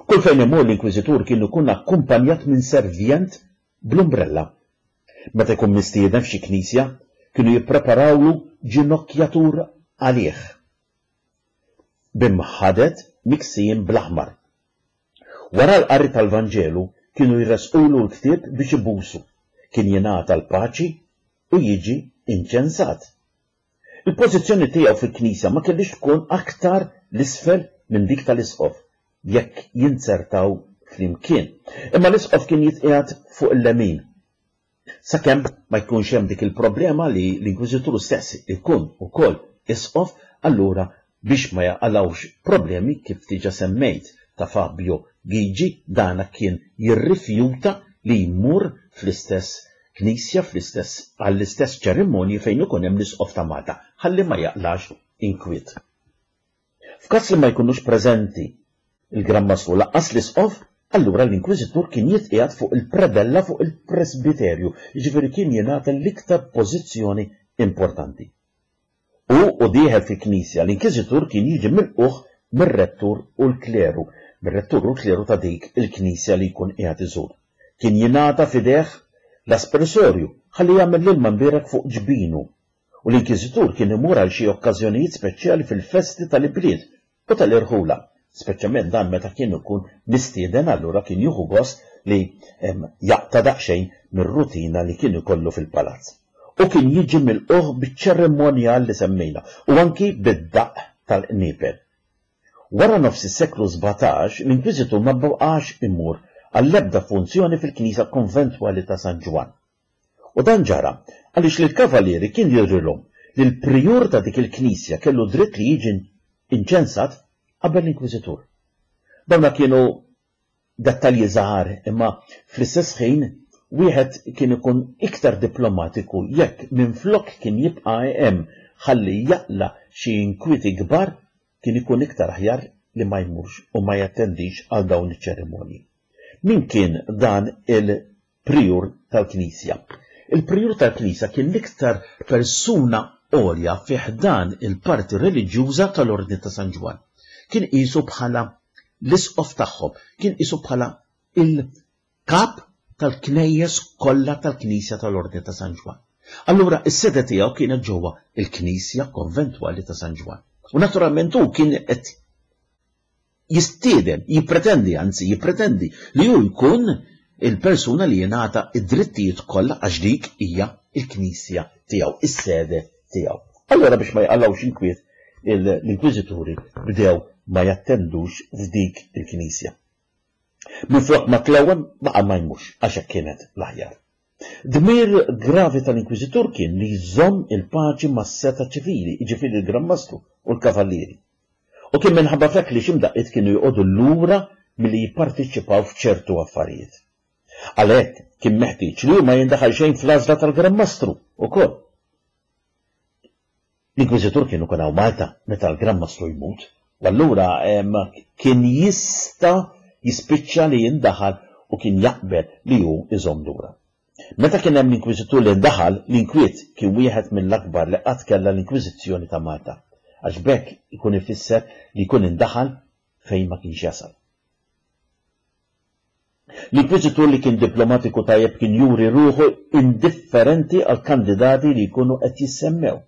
Kull fejn imur l-Inkwiżitur kien ikun akkumpanjat minn servjent bl-umbrella. Meta jkun mistieden f'xi knisja, kienu jippreparawlu ġinokkjatur għalih b'imħaded miksijin bl-aħmar. Wara l-qari tal-Vanġelu kienu jressqulu l-ktieb biex ibusu, kien jingħata l-paċi u jiġi inċensat. Il-pożizzjoni tiegħu fil-knisja ma kellhiex tkun aktar 'l isfel minn dik tal-isqof jekk jinzertaw flimkien. Imma l-isqof kien jitqiegħed fuq il-lemin. Sakemm ma jkunx hemm dik il-problema li l-Inkwiżitur stess ikun ukoll isqof, allura biex ma jaqalgħux problemi kif diġa semmejt ta' Fabio Ghigi, dana kien jirrifjuta li jmur fl-istess knisja, fl-istess għall-istess ċerimonji fejn ikun hemm l-Isqof ta' Malta, ħalli ma jaqlax inkwiet. F'każ li ma jkunux preżenti l-Gran Mastru lanqas l-Isqof, allura l-Inkwiżitur kien jitqiegħed fuq il-predella fuq il-presbiterju, jiġifieri kien jingħata l-iktar pożizzjoni importanti. Hu u dieħel fil-knisja, l-Inkiżitur kien jiġi milqugħ mir-rettur u l-kleru, mir-rettur u l-kleru ta' dik il-knisja li jkun qiegħed iżur. Kien jingħata f'idejh l-aspersorju ħalli jagħmel l-ilma mbierek fuq ġbinu u l-Inkwiżitur kien imur għal xi okkażjonijiet speċjali fil-festi tal-ibliet u tal-irħula. Speċjalment dan meta kien ikun mistieden allura kien jieħu gost li jaqta' daqsxejn mir-rutina li kien ikollu fil-palazz. U kien jiġi milqugħ biċ-ċerimonjal li semmejna u anki bid-daqq tal-qniepel. Wara nofs is-seklu 17, l-Inkwiżitur ma baqax imur għall-ebda funzjoni fil-knisja konventwali ta' San Ġwann. U dan ġara għaliex lill-Kavalieri kien jidhrilhom li l-prijur ta' dik il-knisja kellu dritt li jiġi inċensat qabel l-Inkwiżitur. Dawna kienu dettalji żgħar imma fl-istess ħin wieħed kien ikun iktar diplomatiku jekk minflok kien jibqa' hemm ħalli jaqla' xi inkwieti kbar kien ikun iktar aħjar li ma jmurx u ma jattendix għal dawn iċ-ċerimonji. Min kien dan il Prijur tal-Knisja. Il-Prijur tal-Knisja kien l-iktar persuna għolja fi ħdan il-parti reliġjuża tal-Ordni ta' San Ġwann. Kien qisu bħala l-isqof tagħhom, kien qisu bħala il-kap tal-knejjes kollha tal-Knisja tal-Ordni ta' San Ġwann. Allura is-sede tiegħu kienet ġewwa il-Knisja Konventwali ta' San Ġwann. U naturalment hu kien qed jistieden, jippretendi, anzi jippretendi li hu jkun il-persuna li jingħata id-drittijiet kollha għax dik hija l-knisja tiegħu, is-sede tiegħu. Allura biex ma jqallgħux inkwiet l-inkwiżituri bdew ma jattendux f'dik il-knisja. Minflok ma tlewwem baqa' ma jmurx għax hekk kienet l-aħjar. Dmir gravi tal-inkwiżitur kien li jżomm il-paċi mas-setgħa ċivili, jiġifieri l-Gran Mastru u l-Kavallieri. U kien minħabba f'hekk li xi mdaqqiet kienu joqogħdu lura milli jipparteċipaw f'ċertu affarijiet. Għalhekk kien meħtieġ li hu ma jindaħal xejn fl-għażla tal-Gran Mastru wkoll. L-Inkwiżitur kien ikun hawn Malta meta l-Gran Mastru jmut, u allura kien jista' jispiċċa li jindaħal u kien jaqbel li hu jżomm lura. Meta kien hemm l-Inkwiżitur li ndaħal, l-inkwiet kien wieħed mill-akbar li qatt kellha l-Inkwiżizzjoni ta' Malta, għax b'hekk ikun ifisser li jkun indaħal fejn ma kienx jasal. L-Inkwiżitur li kien diplomatiku tajjeb kien juri ruħu indifferenti għall-kandidati li jkunu qed jissemmew.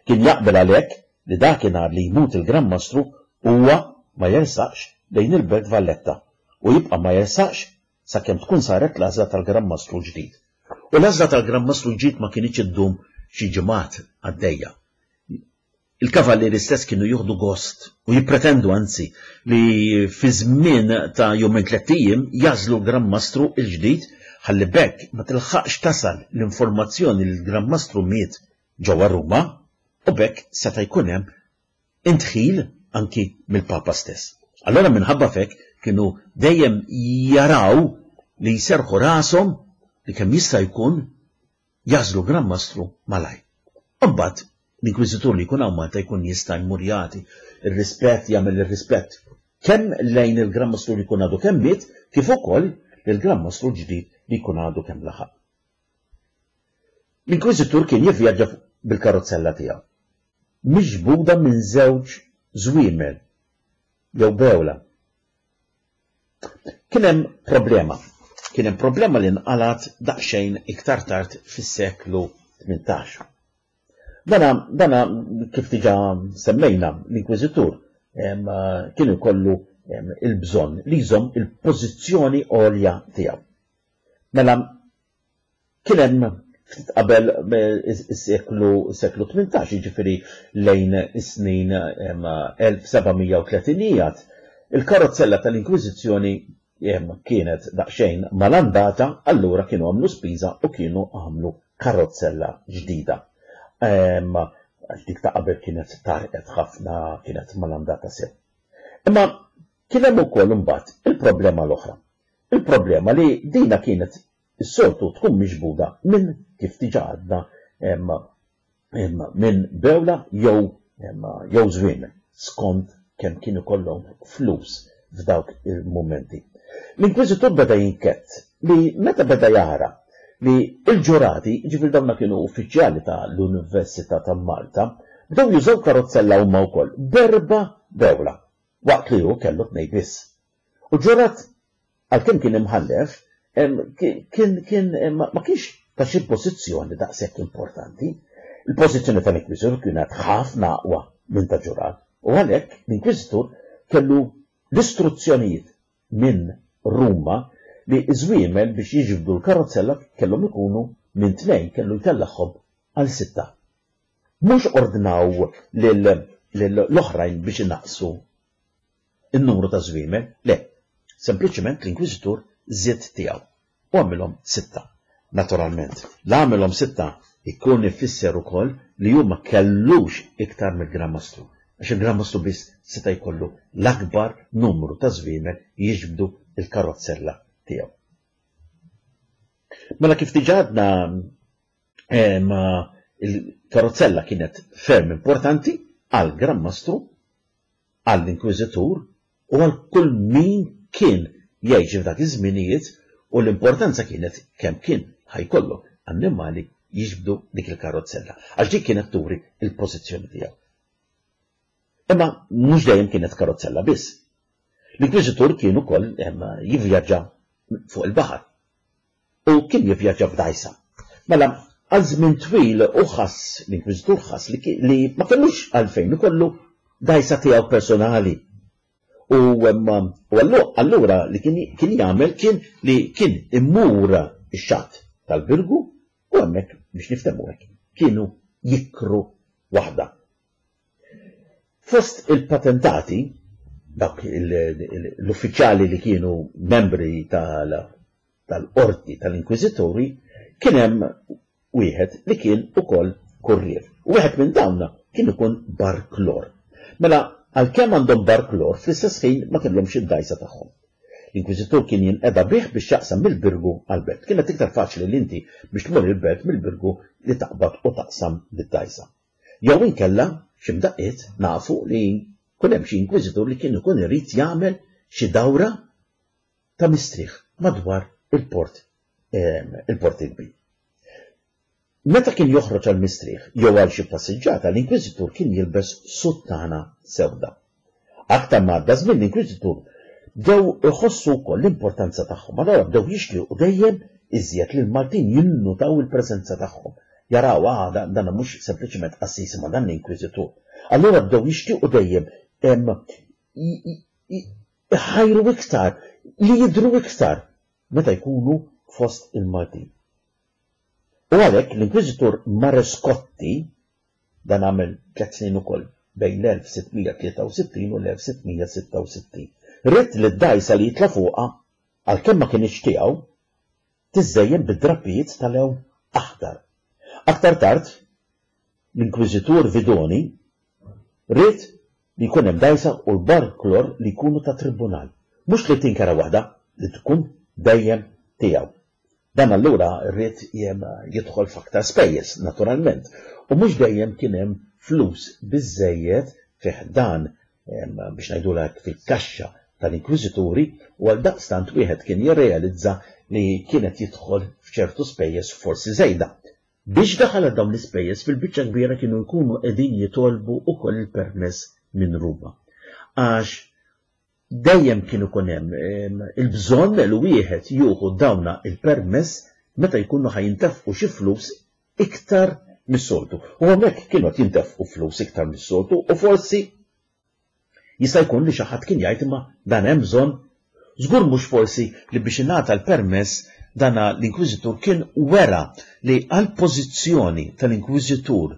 Kien jaqbel għalhekk li dakinhar li jmut il-Gran Mastru huwa ma jersaqx lejn il-Belt Valletta u jibqa' ma jersaqx sakemm tkun saret l-għażla tal-Gran Mastru l-ġdid. U l-għażla tal-Gran Mastru l-ġdid ma kinitx iddum xi ġimgħat għaddejja. Il-kavallieri stess kienu jieħdu gost, u jippretendu anzi, li fi żmien ta' jumejn tlett ijiem jagħżlu l-Gran Mastru l-ġdid ħalli b'hekk ma tilħaqx tasal l-informazzjoni li l-Gran Mastru miet ġewwa Ruma u b'hekk seta' jkun hemm indħil anki mill-Papa stess. Allura minħabba f'hekk kienu dejjem jaraw li jserrħu rashom li kemm jista' jkun jagħżlu Gran Mastru malajr. U mbagħad l-Inkwiżitur li jkun hawn Malta jkun jista' jmur jagħti r-rispett, jagħmel ir-rispett kemm lejn il-Gran Mastru li jkun għadu kemm miet, kif ukoll lill-Gran Mastru l-ġdid li jkun għadu kemm laħaq. L-Inkwiżitur kien jivvjaġġa bil-karozzella tiegħu, miġbuda minn żewġ żwiemel jew bewla. Kien hemm problema. Kien hemm problema li nqalgħet daqsxejn iktar tard fis-seklu 18. Dana, dana kif diġà semmejna, l-Inkwiżitur kien ikollu il-bżonn li jżomm il-pożizzjoni għolja tiegħu. Mela Kien hemm ftit qabel is-seklu seklu 18, jiġifieri lejn is-snin 1730ijiet, il-karozzella tal-Inkwiżizzjoni kienet daqsxejn malandata, allura kienu għamlu spiża u kienu għamlu karozzella ġdida. Għax dik ta' qabel kienet tgħarrqet ħafna, kienet malandata sew. Imma kien hemm ukoll imbagħad il-problema l-oħra. Il-problema li dina kienet is-soltu tkun miġbuda minn, kif diġà għadna, minn bewla jew jew żwiemel, skont kemm kien ikollhom flus f'dawk il-mumenti. L-Inkwiżitur beda jinkedd li meta beda jara li l-ġurati, jiġifieri dawna kienu uffiċjali ta' l-Università ta' Malta, bdew jużaw karozzella huma wkoll b'erba' bewla, waqt li hu kellu tnejn biss. U ġurat Għalkemm kien imħallef, kien kien ma kienx ta' xi pożizzjoni daqshekk importanti. Il-pożizzjoni tal-Inkwiżitur kienet ħafna aqwa minn ta' ġurat u għalhekk l-Inkwiżitur kellu l-istruzzjonijiet minn Ruma li ż-żwiemel biex jiġbdu l-karozzella kellhom ikunu minn tnejn kellu jtellagħhom għal sitta. Mhux ordnaw lill-oħrajn biex inaqqsu n-numru ta' żwiemel, le, sempliċement l-Inkwiżitur żied tiegħu u għamilhom sitta. Naturalment, la għamilhom sitta jkun ifisser ukoll li hu ma kellux iktar mill-Gran Mastru, għax il-Gran Mastru biss seta' jkollu l-akbar numru ta' żwiemel jiġbdu l-karozzella tiegħu. Mela kif diġà għadna il-karozzella kienet ferm importanti għall-Gran Mastru, għall-Inkwiżitur u għal kull min kien jgħix f'dak iż-żminijiet u l-importanza kienet kemm kien ħa jkollok annimali jiġbdu dik il-karozzella għax dik kienet turi l-pożizzjoni tiegħu. Imma mhux dejjem kienet karozzella biss. L-Inkwiżitur kien ukoll jivvjaġġa fuq il-baħar. U kien jivvjaġġa f'dgħajsa. Mela, għal żmien twil hu ħass, l-Inkwiżitur ħass li, li ma kellux għalfejn ikollu dgħajsa tiegħu personali. U, u allura li kien, kien jagħmel kien li kien imur ix-xatt tal-Birgu u hemmhekk biex niftehmu hekk kienu jikru waħda. Fost il-patentati, dawk l-uffiċjali li kienu membri tal-qorti tal-inkwiżituri, kien hemm wieħed li kien ukoll kurrier. U wieħed minn dawn kien ikun barklor. Mela, għalkemm għandhom barklor, fl-istess ħin ma kellhomx id-dgħajsa tagħhom. L-inkwiżitur kien jinqeda bih biex jaqsam mill-Birgu għall-belt. Kienet iktar faċli li inti biex tmur il-belt mill-Birgu li taqbad u taqsam bid-dgħajsa. Jew inkella, xi mdaqqiet, nafu li jkun hemm xi inkwiżitur li kien ikun irid jagħmel xi dawra ta' mistrieħ madwar il-port il-Port il-Kbir. Meta kien joħroġ għal mistrieħ jew għal xi passiġġata, l-inkwiżitur kien jilbes suttana sewda. Aktar ma għadda żmien l-Inkwiżitur bdew iħossu wkoll l-importanza tagħhom. Allura bdew jixtiequ dejjem iżjed li l-Maltin jinnutaw il-preżenza tagħhom. Jaraw, ah, dan mhux sempliċement qassis imma dan l-Inkwiżitur. Allura bdew jixtiequ dejjem iħajru iktar, li jidhru iktar meta jkunu fost il-Maltin. U għalhekk l-Inkwiżitur Marescotti Dan għamel tlett snin ukoll, bejn l-1663 u l-1666. Ried li d-dgħajsa li jitla' fuqha, għalkemm ma kinitx tiegħu, tiżżejjen bi drappijiet ta' lewn aħdar. Aktar tard, l-Inkwiżitur Vidoni ried li jkun hemm dgħajsa u l-barklor li jkunu tat-tribunal, mhux li tinkera waħda, li tkun dejjem tiegħu. Dan allura ried jidħol f'aktar spejjeż, naturalment, u mhux dejjem kien hemm flus biżżejjed fi ħdan, biex ngħidulha hekk, fil-kaxxa tal-inkwiżituri u għaldaqstant wieħed kien jirrealizza li kien qed jidħol f'ċertu spejjeż forsi żejda. Biex daħal għal dawn l-ispejjeż fil-biċċa kbira kienu jkunu qegħdin jitolbu wkoll il-permess minn Ruma. Għax Dejjem kien ikun hemm il-bżonn li wieħed jieħu dawna il-permess meta jkunu ħa jintefqu xi flus iktar mis-soltu. U hawnhekk kienu qed jintefqu flus iktar mis-soltu u forsi jista' jkun li xi ħadd kien jgħid imma dan hemm bżonn. Żgur mhux forsi li biex ingħata l-permess dana l-inkwiżitur kien wera li għall-pożizzjoni tal-inkwiżitur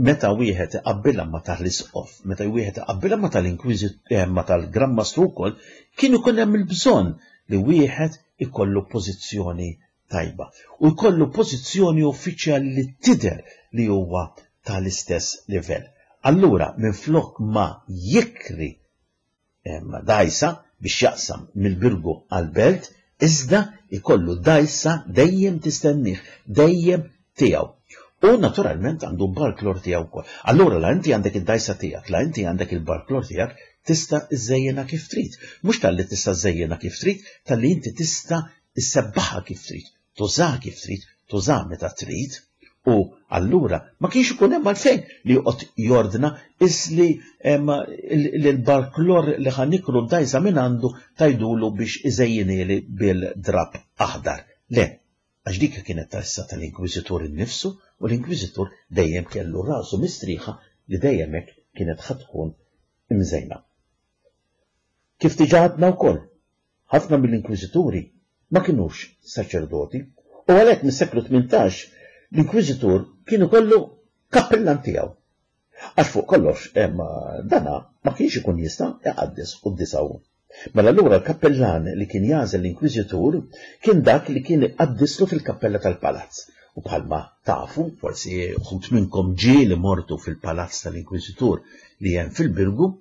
Meta wieħed iqabbilha ma' tal-Isqof, meta wieħed iqabbilha ma' tal-Inkwiżit eh, ma' tal-Gran Mastru wkoll, kien ikun hemm il-bżonn li wieħed ikollu pożizzjoni tajba u jkollu pożizzjoni uffiċjali li tidher li huwa tal-istess livell. Allura minflok ma jikri dgħajsa biex jaqsam mill-Birgu għall-Belt, iżda jkollu dgħajsa dejjem tistennih, dejjem tiegħu. U naturalment għandu barklor tiegħu wkoll. Allura la inti għandek id-dgħajsa tiegħek, la inti għandek il-barklor tiegħek, tista' żżejjinha kif trid. Mhux talli tista' żżejjinha kif trid, talli inti tista' issebbaħha kif trid. Tużaha kif trid, tużaha meta trid, u allura ma kienx ikun hemm għalfejn li joqgħod jordna isli l-barklor li ħa nikru d-dgħajsa minn għandu tgħidulu biex iżejjinhieli bil-drapp aħdar. Le, għax dik kienet tassa tal-Inkwiżitur innifsu u l-Inkwiżitur dejjem kellu rasu mistrieħa li dejjem hekk kienet ħa tkun imżejna. Kif diġà għadna wkoll, ħafna mill-inkwiżituri ma kinux saċerdoti u għalhekk mis-seklu 18 l-inkwiżitur kien ikollu kappillan tiegħu. Għax fuq kollox dana ma kienx ikun jista' iqaddes quddiesa hu. Mela allura l-kappillan li kien jagħżel l-inkwiżitur kien dak li kien iqaddislu fil-kappella tal-palazz. U bħalma tafu, forsi uħud minnkom ġieli mortu fil-palazz tal-inkwiżitur li hemm fil-Birgu,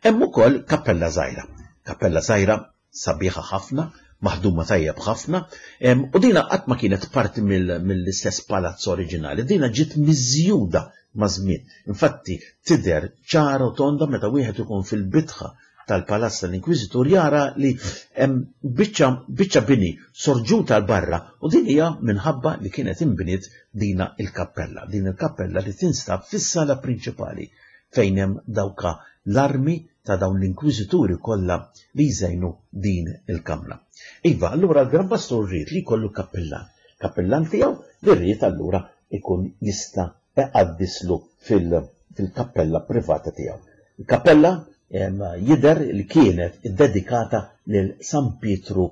hemm ukoll kappella żgħira. Kappella żgħira sabiħa ħafna, maħduma tajjeb ħafna, u dina qatt ma kienet parti mill-istess palazz oriġinali, dina ġiet miżjuda maż-żmien. Infatti tidher ċara u tonda meta wieħed ikun fil-bitħa tal-Palazz tal-Inkwiżitur jara li hemm biċċa biċċa bini sorġuta 'l barra u din hija minħabba li kienet inbniet dina il-kappella, din il-kappella li tinstab fis-sala prinċipali fejn hemm dawka l-armi ta' dawn l-inkwiżituri kollha li jżejnu din il-kamra. Iva, allura l-Gran Pastur ried li jkollu kappillan, kappillan tiegħu li ried allura ikun jista' iqaddislu fil-kappella privata tiegħu. Il-kappella jidher li kienet iddedikata lil San Pietru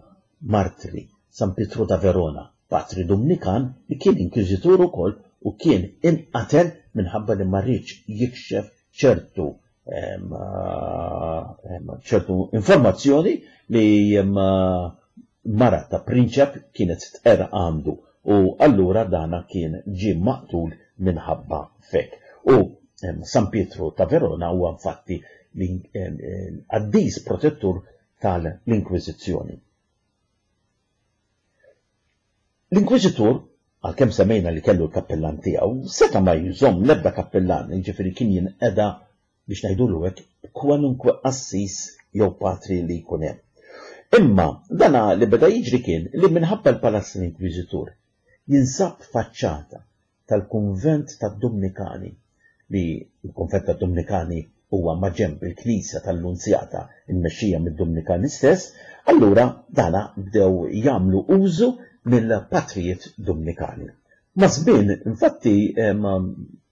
Martri, San Pietru ta' Verona, patri Dumnikan li kien inkwiżitur ukoll u kien inqatel minħabba li ma riedx jikxef ċertu ċertu informazzjoni li mara ta' prinċep kienet tqerr għandu u allura dana kien ġie maqtul minħabba f'hekk. U San Pietru ta' Verona huwa infatti l-qaddis protettur tal-Inkwiżizzjoni. L-Inkwiżitur, għalkemm semmejna li kellu l-kappillan tiegħu, seta' ma jżomm l-ebda kappillan, jiġifieri kien jinqeda, biex ngħidulu hekk, b'kwalunkwe qassis jew patri li jkun hemm. Imma dana li beda jiġri kien li minħabba l-Palazz tal-Inkwiżitur jinsab faċċata tal-Kunvent tad-Dumnikani, li l-Kunvent tad-Dumnikani huwa maġenb il-Knisja tal-Lunzjata mmexxija mid-Dumnikani stess, allura dana bdew jagħmlu użu mill-patrijiet Dumnikani. Maż-żmien, infatti,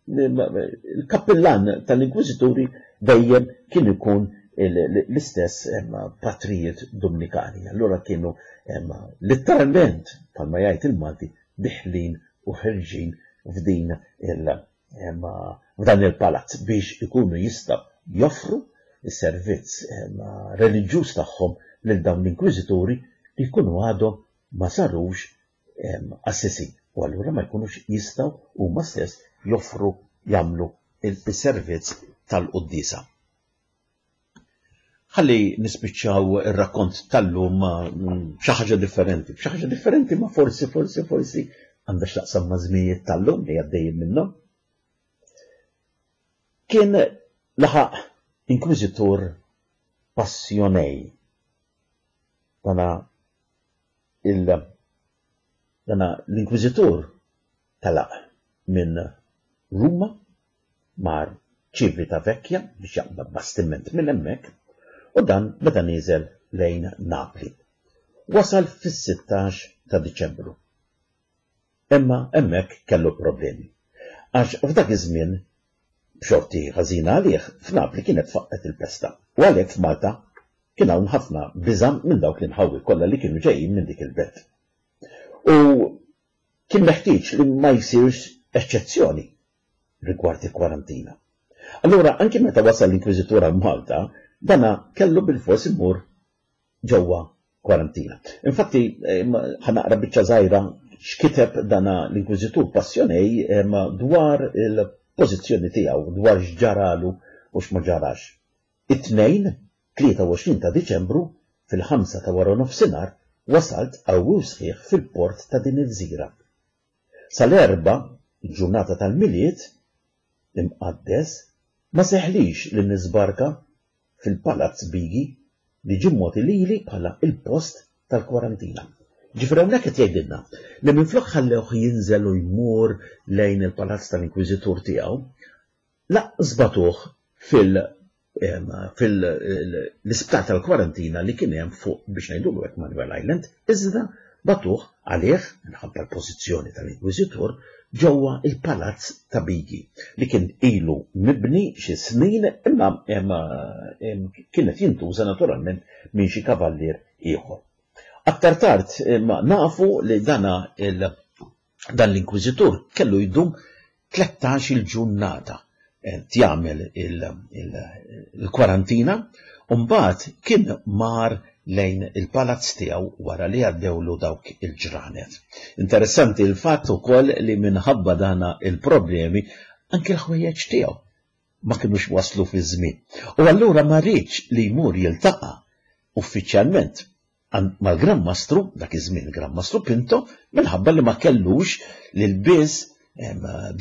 il-kappillan tal-Inkwiżituri dejjem kien ikun l-istess patrijiet Dumnikani. Allura kienu litteralment, bħalma jgħid il-Malti, diħlin u ħerġin f'din il f'dan il-palazz biex ikunu jistgħu joffru s-servizz reliġjuż tagħhom lil dawn l-inkwiżituri li jkunu għadhom ma sarux qassisin u allura ma jkunux jistgħu huma stess joffru jagħmlu s-servizz tal-quddiesa. Ħalli nispiċċaw ir-rakkont tal-lum b'xi ħaġa differenti, b'xi ħaġa differenti ma forsi, forsi, forsi għandha x'taqsam ma' żmijiet tal-lum li għaddejjin minnhom. Kien laħaq inkwiżitur passjonej. Dana il dana l-inkwiżitur telaq minn Ruma mar Civitavecchia biex jaqbad bastiment minn hemmhekk u dan beda nieżel lejn Napli. Wasal fis-sittax ta' Diċembru. Imma hemmhekk kellu problemi. Għax f'dak iż-żmien, b'xorti ħażina għalih, f'Napli kienet faqqgħet il-pesta u għalhekk f'Malta kien hawn ħafna biża' minn dawk l-inħawi kollha li kienu ġejjin minn dik il-belt. U kien meħtieġ li ma jsirx eċċezzjoni rigward il-kwarantina. Allura anki meta wasal l-Inkwiżitur għal Malta, dana kellu bilfors imur ġewwa kwarantina. Infatti, ħa naqra biċċa żgħira x'kiteb dana l-Inkwiżitur Passionej dwar il-pożizzjoni tiegħu, dwar x'ġaralu u x'ma ġarax. It-Tnejn, 23 ta' Diċembru, fil-ħamsa ta' waranofsinhar, wasalt qawwi u sħiħ fil-port ta' din il-gżira. Sal-Erbgħa, il-ġurnata tal-Milied Imqaddes, ma seħħlix li niżbarka fil-Palazz Bigi li ġie mogħti lili bħala l-post tal-kwarantina. Ġifieri hawnhekk qed jgħidilna li minflok ħallewh jinżel u jmur lejn il-palazz tal-Inkwiżitur tiegħu, Lanqas bagħtuh fil fil-isptar tal-kwarantina li kien hemm fuq biex ngħidulu hekk Manuel Island, iżda Bagħtuh għalih, minħabba l-pożizzjoni tal-Inkwiżitur, ġewwa l-Palazz ta' Bigi, li kien ilu mibni xi snin imma kien qed jintuża naturalment minn xi kavallier ieħor. Aktar tard nafu li dana il Dan l-inkwiżitur kellu jdum 13-il ġurnata qed jagħmel il-kwarantina u mbagħad kien mar lejn il-palazz tiegħu wara li għaddewlu dawk il-ġranet. Interessanti l-fatt ukoll li minħabba dana il-problemi anki l-ħwejjeġ tiegħu ma kinux waslu fiż-żmien. U allura ma riedx li jmur jiltaqa' uffiċjalment mal-Gran Mastru, dak iż-żmien il-Gran Mastru Pinto, minħabba li ma kellux l-ilbies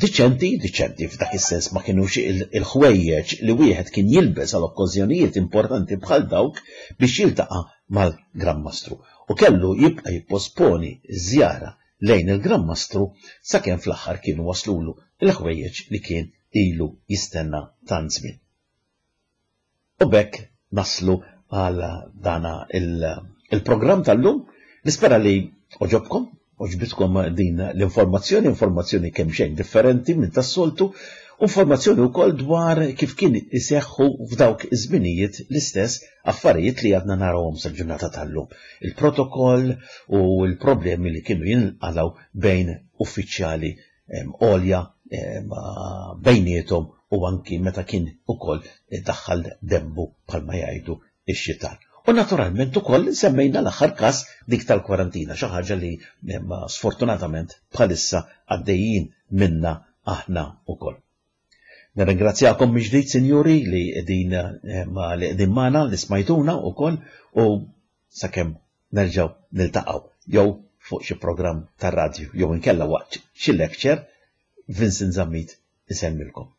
diċenti, diċenti f'dak is-sens ma kinux il-ħwejjeġ li wieħed kien jilbes għal okkażjonijiet importanti bħal dawk biex jiltaqa' mal-Gran Mastru. U kellu jibqa' jipposponi ż-żjara lejn il-Gran Mastru sakemm fl-aħħar kienu waslulu l-ħwejjeġ li kien ilu jistenna tant żmien. U b'hekk naslu għal dana il-programm tal-lum. Nispera li oġobkom, oġbitkom din l-informazzjoni, informazzjoni kemm xejn differenti minn tas-soltu, informazzjoni wkoll dwar kif kien iseħħu f'dawk iż-żminijiet l-istess affarijiet li għadna narawhom sal-ġurnata tal-lum. Il-protokoll u l-problemi li kienu jinqalgħu bejn uffiċjali għolja bejniethom u anki meta kien ukoll daħħal dembu bħalma jgħidu x-xitan. U naturalment ukoll semmejna l-aħħar każ dik tal-kwarantina, xi ħaġa li sfortunatament bħalissa għaddejjin minna aħna ukoll. Nirringrazzjakom mill-ġdid, sinjuri, li qegħdin li qegħdin magħna, li smajtuna wkoll u sakemm nerġgħu niltaqgħu jew fuq xi programm tar-radju jew inkella waqt xi lecture, Vincent Zammit isellmilkom.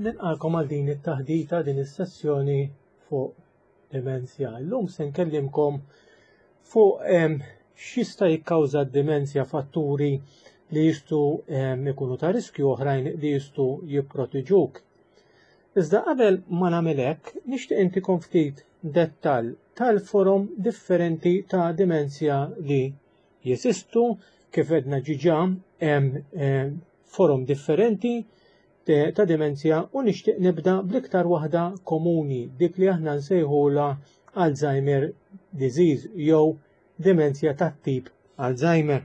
Nilqakom għal din it-taħdita din is-sessjoni fuq demenzja. Illum se nkellimkom fuq x'jista' jikkawża d-demenzja fatturi li jistgħu ikunu ta' riskju oħrajn li jistgħu jipprotiġuk. Iżda qabel ma nagħmel hekk, nixtieq intikom ftit dettall tal-forom differenti ta' dimenzja li jeżistu, kif għedna ġiġa hemm eh, forom differenti ta' dimenzja u nixtieq nibda bl-iktar waħda komuni, dik li aħna nsejħulha Alzheimer disease jew dimenzja tat-tip Alzheimer.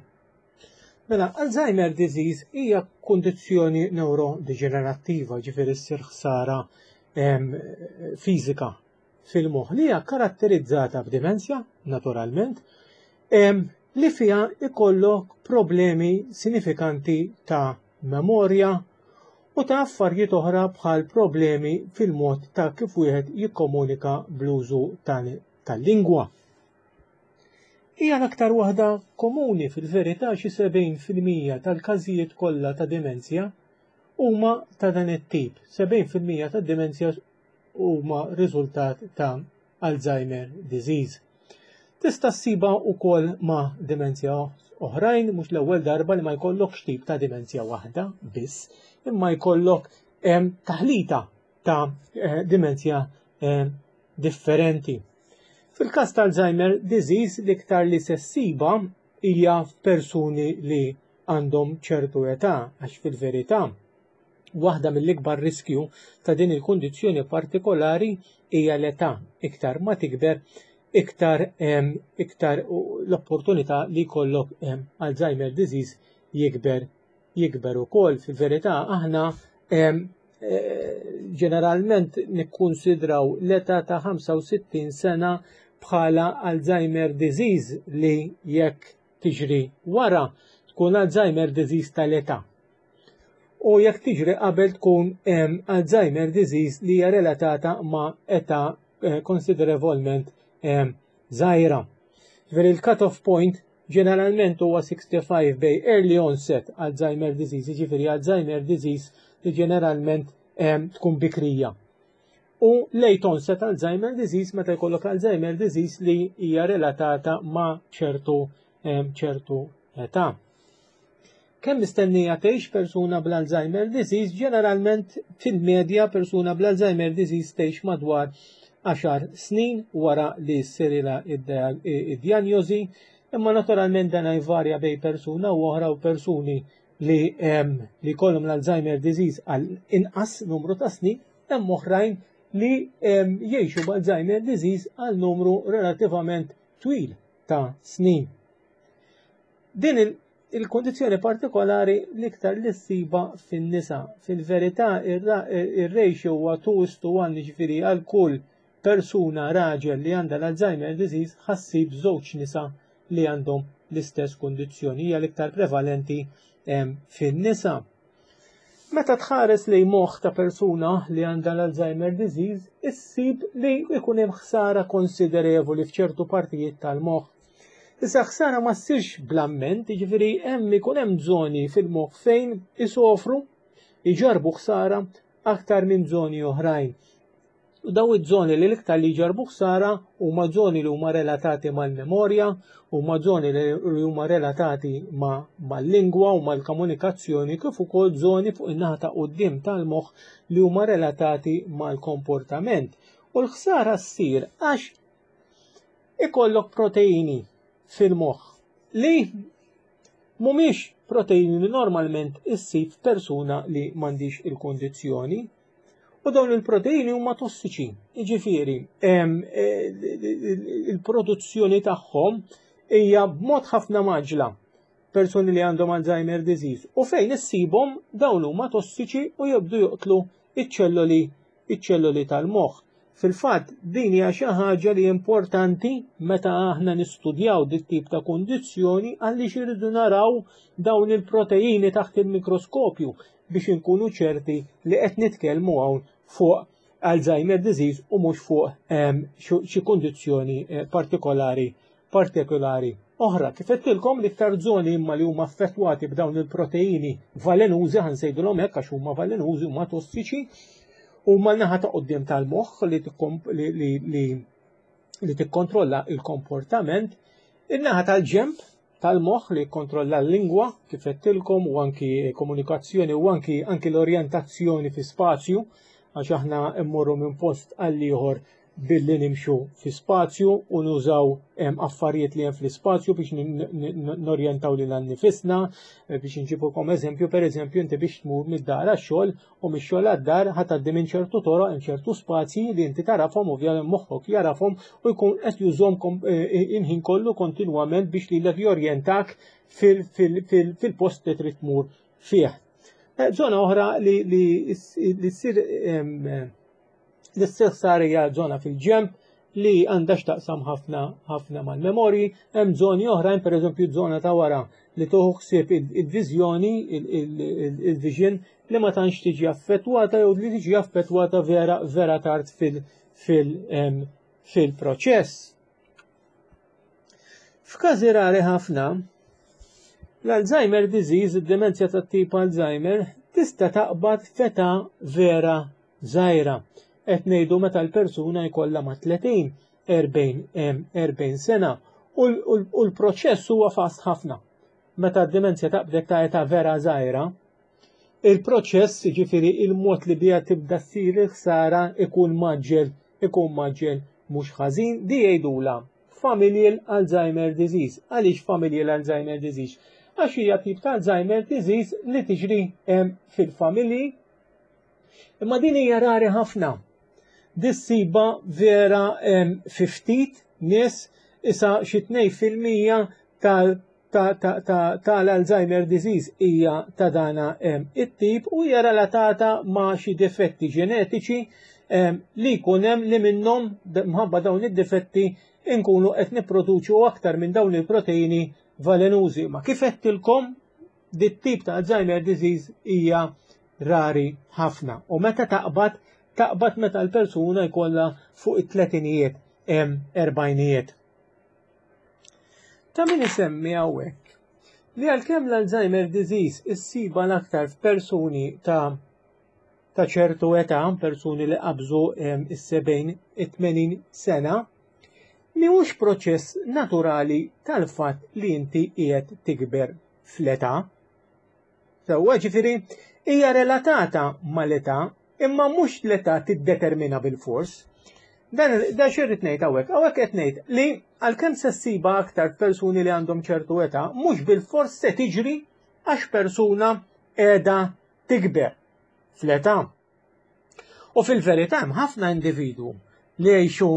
Mela, Alzheimer disease hija kundizzjoni neurodeġenerattiva, ġifieri ssir ħsara fiżika fil-moħħ li hija karatterizzata b'dimensja, naturalment, li fiha ikollok problemi sinifikanti ta' memorja u ta' affarijiet oħra bħal problemi fil-mod ta' kif wieħed jikkomunika bl-użu tal-lingwa. Hija l-aktar waħda komuni fil-verità xi 70% tal-każijiet kollha ta' dimenzja huma ta' dan it-tip. 70% tad-dimenzja huma riżultat ta' Alzheimer disease. Tista' ssibha wkoll ma' dimenzja oħrajn, mhux l-ewwel darba li ma jkollokx tip ta' dimenzja waħda biss, imma jkollok taħlita ta' eh, dimenzja eh, differenti. Fil-każ ta' Alzheimer disease l-iktar li se ssiba hija f'persuni li għandhom ċertu età għax fil-verità waħda mill-ikbar riskju ta' din il-kundizzjoni partikolari hija l-età. Iktar ma tikber, iktar iktar l-opportunità li jkollok Alzheimer disease jikber jikber ukoll. Fil-verità aħna eh, Ġeneralment nikkunsidraw l-età ta' 65 sena bħala Alzheimer disease li jekk tiġri wara tkun Alzheimer disease tal-età. U jekk tiġri qabel tkun Alzheimer disease li hija relatata ma' età eh, konsiderevolment żgħira. Ġifieri il-cut-off point ġeneralment huwa 65 bej early onset Alzheimer disease, ġifieri Alzheimer disease li ġeneralment tkun bikrija. U late onset Alzheimer disease meta jkollok Alzheimer disease li hija relatata ma' ċertu ċertu età. Kemm mistennija tgħix persuna bl-Alzheimer disease? Ġeneralment fil-medja persuna bl-Alzheimer disease tgħix madwar 10 snin wara li ssirilha id-dijanjosi, imma naturalment dan jvarja bejn persuna u oħra u persuni li li jkollhom l-Alzheimer disease għal inqas numru ta' snin, hemm oħrajn li jgħixu b'Alzheimer disease għal numru relattivament twil ta' snin. Din il-kondizzjoni partikolari l-iktar li ssiba fin-nisa. Fil-verità ir-ratio huwa 2 is to 1 jiġifieri għal kull persuna raġel li għandha l-Alzheimer disease ħassib żewġ nisa li għandhom l-istess kundizzjoni hija l-iktar prevalenti fin-nisa. Meta tħares lejn moħħ ta' persuna li għandha l-Alzheimer disease, issib li jkun hemm ħsara konsiderevoli f'ċertu partijiet tal-moħħ. Issa ħsara ma ssirx bl-amment, jiġifieri hemm ikun hemm żoni fil-moħħ fejn isofru, iġarbu ħsara aktar minn żoni oħrajn. U daw iż-żoni li l-iktar li jġarbu ħsara huma żoni li huma relatati mal-memorja, huma żoni li huma relatati mal-lingwa u mal-komunikazzjoni kif ukoll żoni fuq in-naħa ta' quddiem tal-moħħ li huma relatati mal-komportament. U l-ħsara ssir għax ikollok proteini fil-moħħ li mhumiex proteini li normalment issib f'persuna li m'għandix il-kundizzjoni. U dawn il-proteini huma tossiċi, jiġifieri e, il-produzzjoni tagħhom hija b'mod ħafna maġla persuni li għandhom Alzheimer disease u fejn issibhom dawn huma tossiċi u jibdu joqtlu iċ-ċelloli iċ-ċelloli tal-moħħ. Fil-fatt din hija xi ħaġa li importanti meta aħna nistudjaw dit tip ta' kundizzjoni għaliex irridu naraw dawn il-proteini taħt il-mikroskopju biex inkunu ċerti li qed nitkellmu hawn fuq Alzheimer disease u mhux fuq ehm, xi kundizzjoni eh, partikolari partikolari oħra. Kif qedtilkom l-iktar żoni imma li huma affettwati b'dawn il-proteini valenużi ħansejdulhom hekk għax huma valenużi huma tossiċi huma l-naħa ta' quddiem tal-moħħ li li li li tikkontrolla il-komportament, in-naħa tal-ġemp tal-moħħ li jikkontrolla l-lingwa kif għedtilkom u anki komunikazzjoni u anki anki l-orjentazzjoni fi spazju għax aħna mmorru minn post għal ieħor billi nimxu fi spazju u nużaw affarijiet li hemm fl-ispazju biex norjentaw lil nifisna, eh, biex nġibukom eżempju, per eżempju inti biex tmur mid-dar għax-xogħol u mix-xogħol għad-dar ħa tgħaddi minn ċertu toroq hemm ċertu spazji li inti tarafhom ovvjament moħħok jarafhom u jkun qed jużhom eh, il-ħin kollu kontinwament biex lilek jorjentak fil-post li trid tmur fih. Eh, zona oħra li li ssir li ssir ħsara hija żona fil-ġemp li għandha x'taqsam ħafna ħafna mal-memorji, hemm żoni oħrajn pereżempju żona ta' wara li toħu ħsieb il-viżjoni, il-vision li ma tantx tiġi affettwata jew li tiġi affettwata vera vera tard fil-proċess. F'każi rari ħafna, l-Alzheimer disease, id-demenzja tat-tip Alzheimer, tista' taqbad f'età vera żgħira. Qed ngħidu meta l-persuna jkollha ma' 30, 40 sena u l-proċess huwa fast ħafna. Meta d-demenzja taqbdek ta' età vera żgħira, il-proċess, jiġifieri il-mod li biha tibda ssir il-ħsara ikun maġġel, ikun maġġel mhux ħażin, di jgħidulha familial Alzheimer disease. Għaliex familial Alzheimer disease? Għax hija tip ta' Alzheimer disease li tiġri fil-familji Imma din hija rari ħafna. Dissiba vera fi ftit nies isa xi 2% tal-Alzheimer disease hija ta' dana it-tip u hija relatata ma' xi difetti ġenetiċi li jkun hemm li minnhom mħabba dawn id-difetti nkunu qed nipproduċu aktar minn dawn il-proteini valenużi. Ma kif għedtilkom dit-tip ta' Alzheimer disease hija rari ħafna u meta taqbad taqbad meta l-persuna jkollha fuq it-tletinijiet erbajnijiet. Ta' min isemmi hawnhekk li għalkemm l-Alzheimer disease issiba l-aktar f'persuni ta' ta' ċertu età, persuni li qabżu is-70, it-80 sena, mhuwiex proċess naturali tal-fatt li inti qiegħed tikber fl-età. Sewwa ġifieri hija relatata mal-età imma mhux l-età tiddetermina bilfors. Dan da xirrid ngħid hawnhekk, hawnhekk qed ngħid li għalkemm se ssiba aktar persuni li għandhom ċertu età, mhux bilfors se tiġri għax persuna qiegħda tikber fl-età. U fil-verità hemm ħafna individwu li jgħixu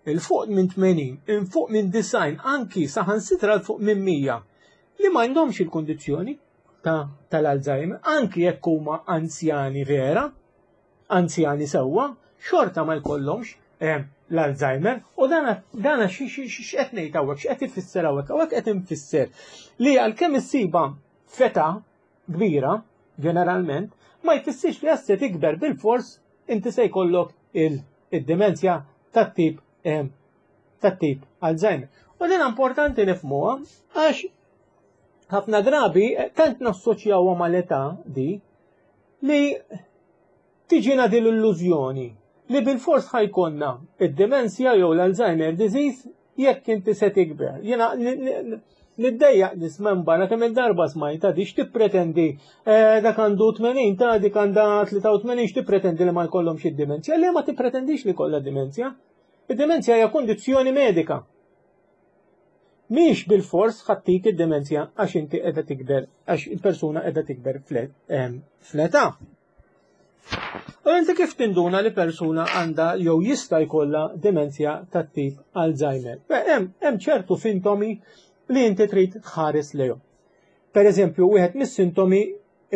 'il fuq minn 80, 'il fuq minn 90, anki saħansitra 'l fuq minn 100 li ma għandhomx il-kundizzjoni ta' tal-Alzheimer, anki jekk huma anzjani vera, anzjani sewwa, xorta ma jkollhomx eh, l-Alzheimer u dana dana x'qed ngħid hawnhekk, x'qed ifisser hawnhekk, hawnhekk qed infisser li għalkemm issiba feta kbira, ġeneralment, ma jfissirx li se tikber bil-fors inti se jkollok il-demenzja tat-tip eh, tat-tip Alzheimer. U din importanti nifhmuha għax ħafna drabi eh, tant nassoċjawha mal-età di li tiġina din l-illużjoni li bil-fors ħajkonna id-demenzja jew l-Alzheimer disease jekk inti se tikber. Jiena niddejjaq nisma' barra kemm il-darba smajta di x'tippretendi eh, dak għandu 80 ta' dik għandha 83 x'tippretendi li ma jkollhomx id-dimenzja. Le ma tippretendix li kollha dimenzja. Id-dimenzja hija kondizzjoni medika. Mhix bil-fors ħattik id-demenzja għax inti qiegħda tikber, għax il-persuna qiegħda tikber fl-età. U inti kif tinduna li persuna għandha jew jista' jkollha demenzja tat-tip Alzheimer? Hemm ċertu sintomi li inti trid tħares lejhom. Per eżempju, wieħed mis-sintomi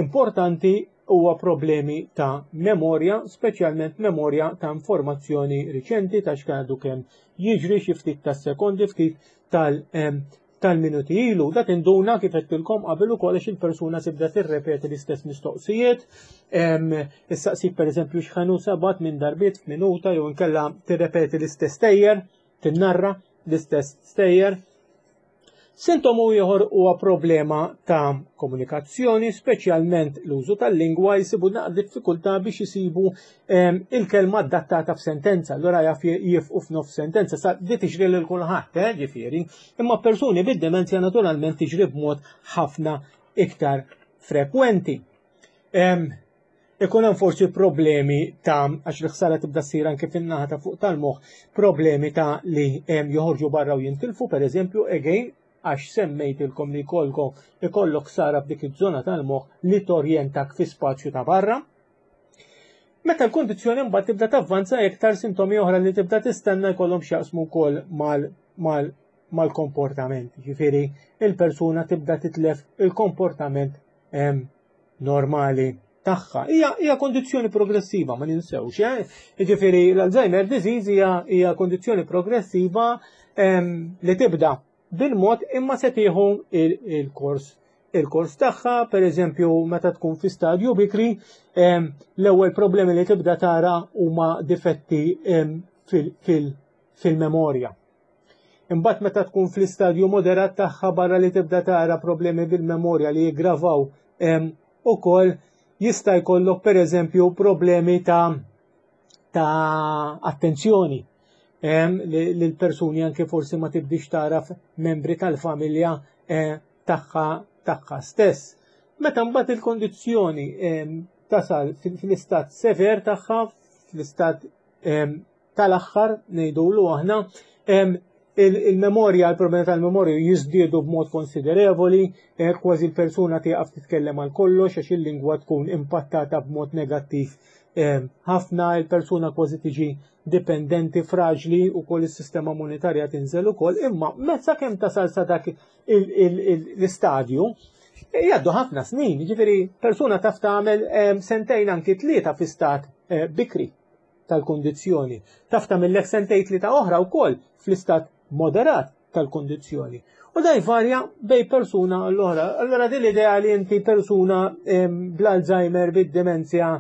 importanti huwa problemi ta' memorja, speċjalment memorja ta' informazzjoni riċenti ta' x'għadu kemm jiġri xi ftit ta' sekondi ftit tal tal-minuti ilu. Da tinduna kif għedtilkom qabel ukoll għax il-persuna tibda tirrepeti l-istess mistoqsijiet. Issaqsik pereżempju x'ħanu sabat minn darbiet f'minuta jew inkella tirrepeti l-istess stejjer, tinnarra l-istess stejjer. Sintomu ieħor huwa problema ta' komunikazzjoni, speċjalment l-użu tal-lingwa jsibu naqra diffikultà biex isibu ehm, il-kelma adattata f'sentenza, allura jaf jifqu f'nof sentenza, sa di tiġri lil kulħadd, eh, ġifieri. Imma persuni bid-demenzja naturalment tiġri b'mod ħafna iktar frekwenti. Ehm, Ikun hemm forsi problemi ta' għax l-ħsara tibda ssir anke fin-naħa ta' fuq tal-moħħ, problemi ta' li joħorġu barra u jintilfu, pereżempju, again, għax semmejtilkom li jkollkom ikollok ħsara f'dik iż-żona tal-moħħ li torjentak fi spazju ta' barra. Meta l-kundizzjoni mbagħad tibda tavvanza iktar sintomi oħra li tibda tistenna jkollhom x'jaqsmu wkoll mal mal mal-komportament. Ġifieri il-persuna tibda titlef il-komportament normali tagħha. Hija hija kondizzjoni progressiva, ma ninsewx, eh? Jiġifieri l-Alzheimer disease hija hija kondizzjoni progressiva ehm, li tibda bil-mod imma se tieħu il-kors il-kors tagħha, per eżempju, meta tkun fi stadju bikri, ehm, l-ewwel problemi li tibda tara huma difetti ehm, fil-memorja. Imbagħad meta tkun fl-istadju moderat tagħha barra li tibda tara problemi bil-memorja li jiggravaw ukoll jista' jkollok pereżempju problemi ta' ta' attenzjoni li l-persuni anke forsi ma tibdix taraf membri tal-familja eh, tagħha tagħha stess. Meta mbagħad il-kondizzjoni tasal fl-istat sever tagħha, fl-istat tal-aħħar ngħidulu aħna, Il-memorja, il-problemi tal-memorja jiżdiedu b'mod konsiderevoli, eh, kważi l-persuna tieqaf titkellem għal kollox għax il-lingwa tkun impattata b'mod negattiv eh, ħafna, il-persuna kważi tiġi dipendenti, fraġli u koll is-sistema monetarja tinżel ukoll, imma mezza kemm tasal sa dak l-istadju, eh, jgħaddu ħafna snin, ġifieri persuna taf tagħmel sentejn anki tlieta fi stat bikri. tal-kundizzjoni. Taf tagħmillek sentejn tlieta oħra wkoll fl-istat moderat tal-kundizzjoni. U da jvarja bej persuna l-oħra. Allora din l-idea li inti persuna bl-Alzheimer, bid-demenzja,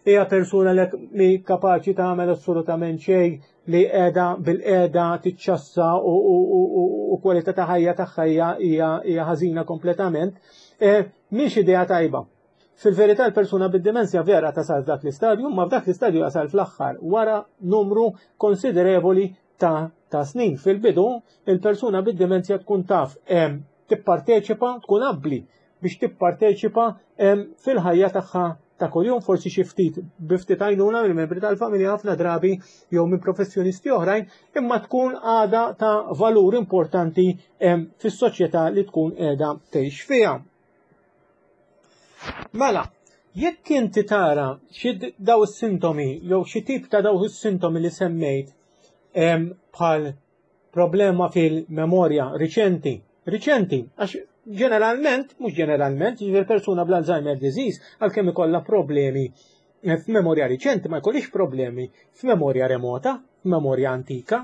hija persuna li mi kapaċi tagħmel assolutament xejn li qiegħda bil-qiegħda tiċċassa u kwalità ta' ħajja tagħha hija ħażina kompletament, eh, mhix idea tajba. Fil-verità l-persuna bid-dimensja vera tasal f'dak l-istadju, ma f'dak l-istadju jasal fl-aħħar wara numru konsiderevoli ta', ta snin. Fil-bidu, il-persuna bid-dimensja tkun taf tipparteċipa, tkun abbli biex tipparteċipa fil-ħajja tagħha ta' kuljum, forsi xi ftit bi ftit għajnuna mill membri tal-familja ħafna drabi jew minn professjonisti oħrajn, imma tkun għada ta' valur importanti fis-soċjetà li tkun qiegħda tgħix fiha. Mela, jekk inti tara xi daw is-sintomi jew xi tip ta' daw is-sintomi li semmejt bħal problema fil-memorja riċenti, riċenti, għax ġeneralment, mhux ġeneralment, jiġifieri persuna bl-Alzheimer disease għalkemm ikollha problemi eh, f'memorja riċenti ma jkollix problemi f'memorja remota, f'memorja antika,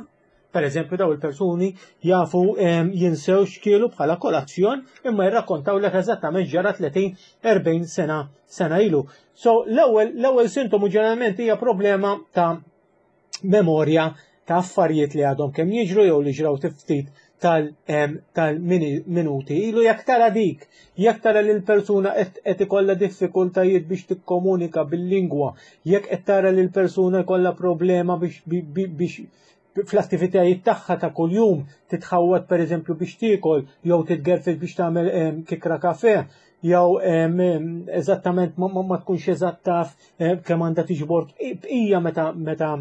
Per eżempju, daw il-persuni jafu jinsew x'kielu bħala kolazzjon imma jirrakkontaw lek eżattament ġara 30-40 sena sena ilu. So l-ewwel l-ewwel sintomu ġeneralment hija problema ta' memorja ta' affarijiet li għadhom kemm jiġru jew li ġraw ftit tal-minuti ilu jekk tara dik, jekk tara li l-persuna qed ikollha diffikultajiet biex tikkomunika bil-lingwa, jekk qed tara li l-persuna jkollha problema biex biex fl-attivitajiet tagħha ta' kuljum titħawwad pereżempju biex tiekol jew titgerfel biex tagħmel kikra kafe jew eżattament ma tkunx eżatt taf kemm għandha tiġbor bqija meta meta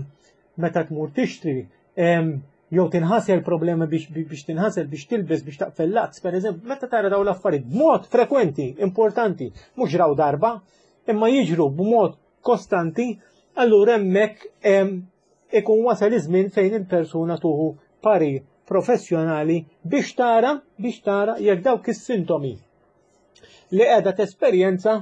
meta tmur tixtri jew tinħasel problemi biex biex tinħasel biex tilbes biex taqfel lazz pereżempju meta tara dawn l-affarijiet b'mod frekwenti importanti mhux raw darba imma jiġru b'mod kostanti allura hemmhekk ikun wasal iż-żmien fejn il-persuna tuħu parir professjonali biex tara biex tara jekk dawk is-sintomi li qiegħda tesperjenza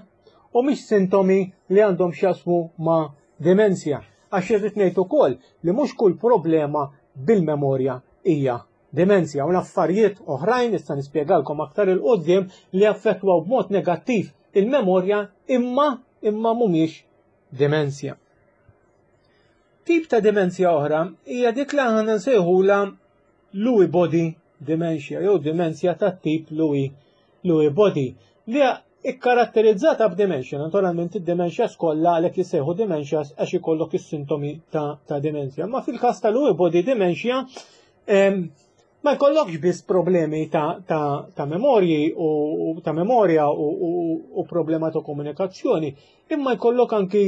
u mhix sintomi li għandhom x'jaqsmu ma' demenzja. Għax irrid ngħid ukoll li mhux kull problema bil-memorja hija demenzja u l-affarijiet oħrajn issa nispjegalkom aktar il qudiem li affettwaw b'mod negattiv il-memorja imma imma mhumiex demenzja. Tip ta' demenzja oħra hija dik li aħna nsejħula Lewy body dementia jew demenzja tat-tip Lewy Lewy body li hija ikkaratterizzata b'dementia. Naturalment id-dementias kollha għalhekk jissejħu dementias għax ikollok is-sintomi ta', ta demenzja. Ma fil-każ ta' Lewy body dementia ma jkollokx biss problemi ta', ta, ta memorji u ta' memorja u, u, u problema ta' komunikazzjoni, imma jkollok anki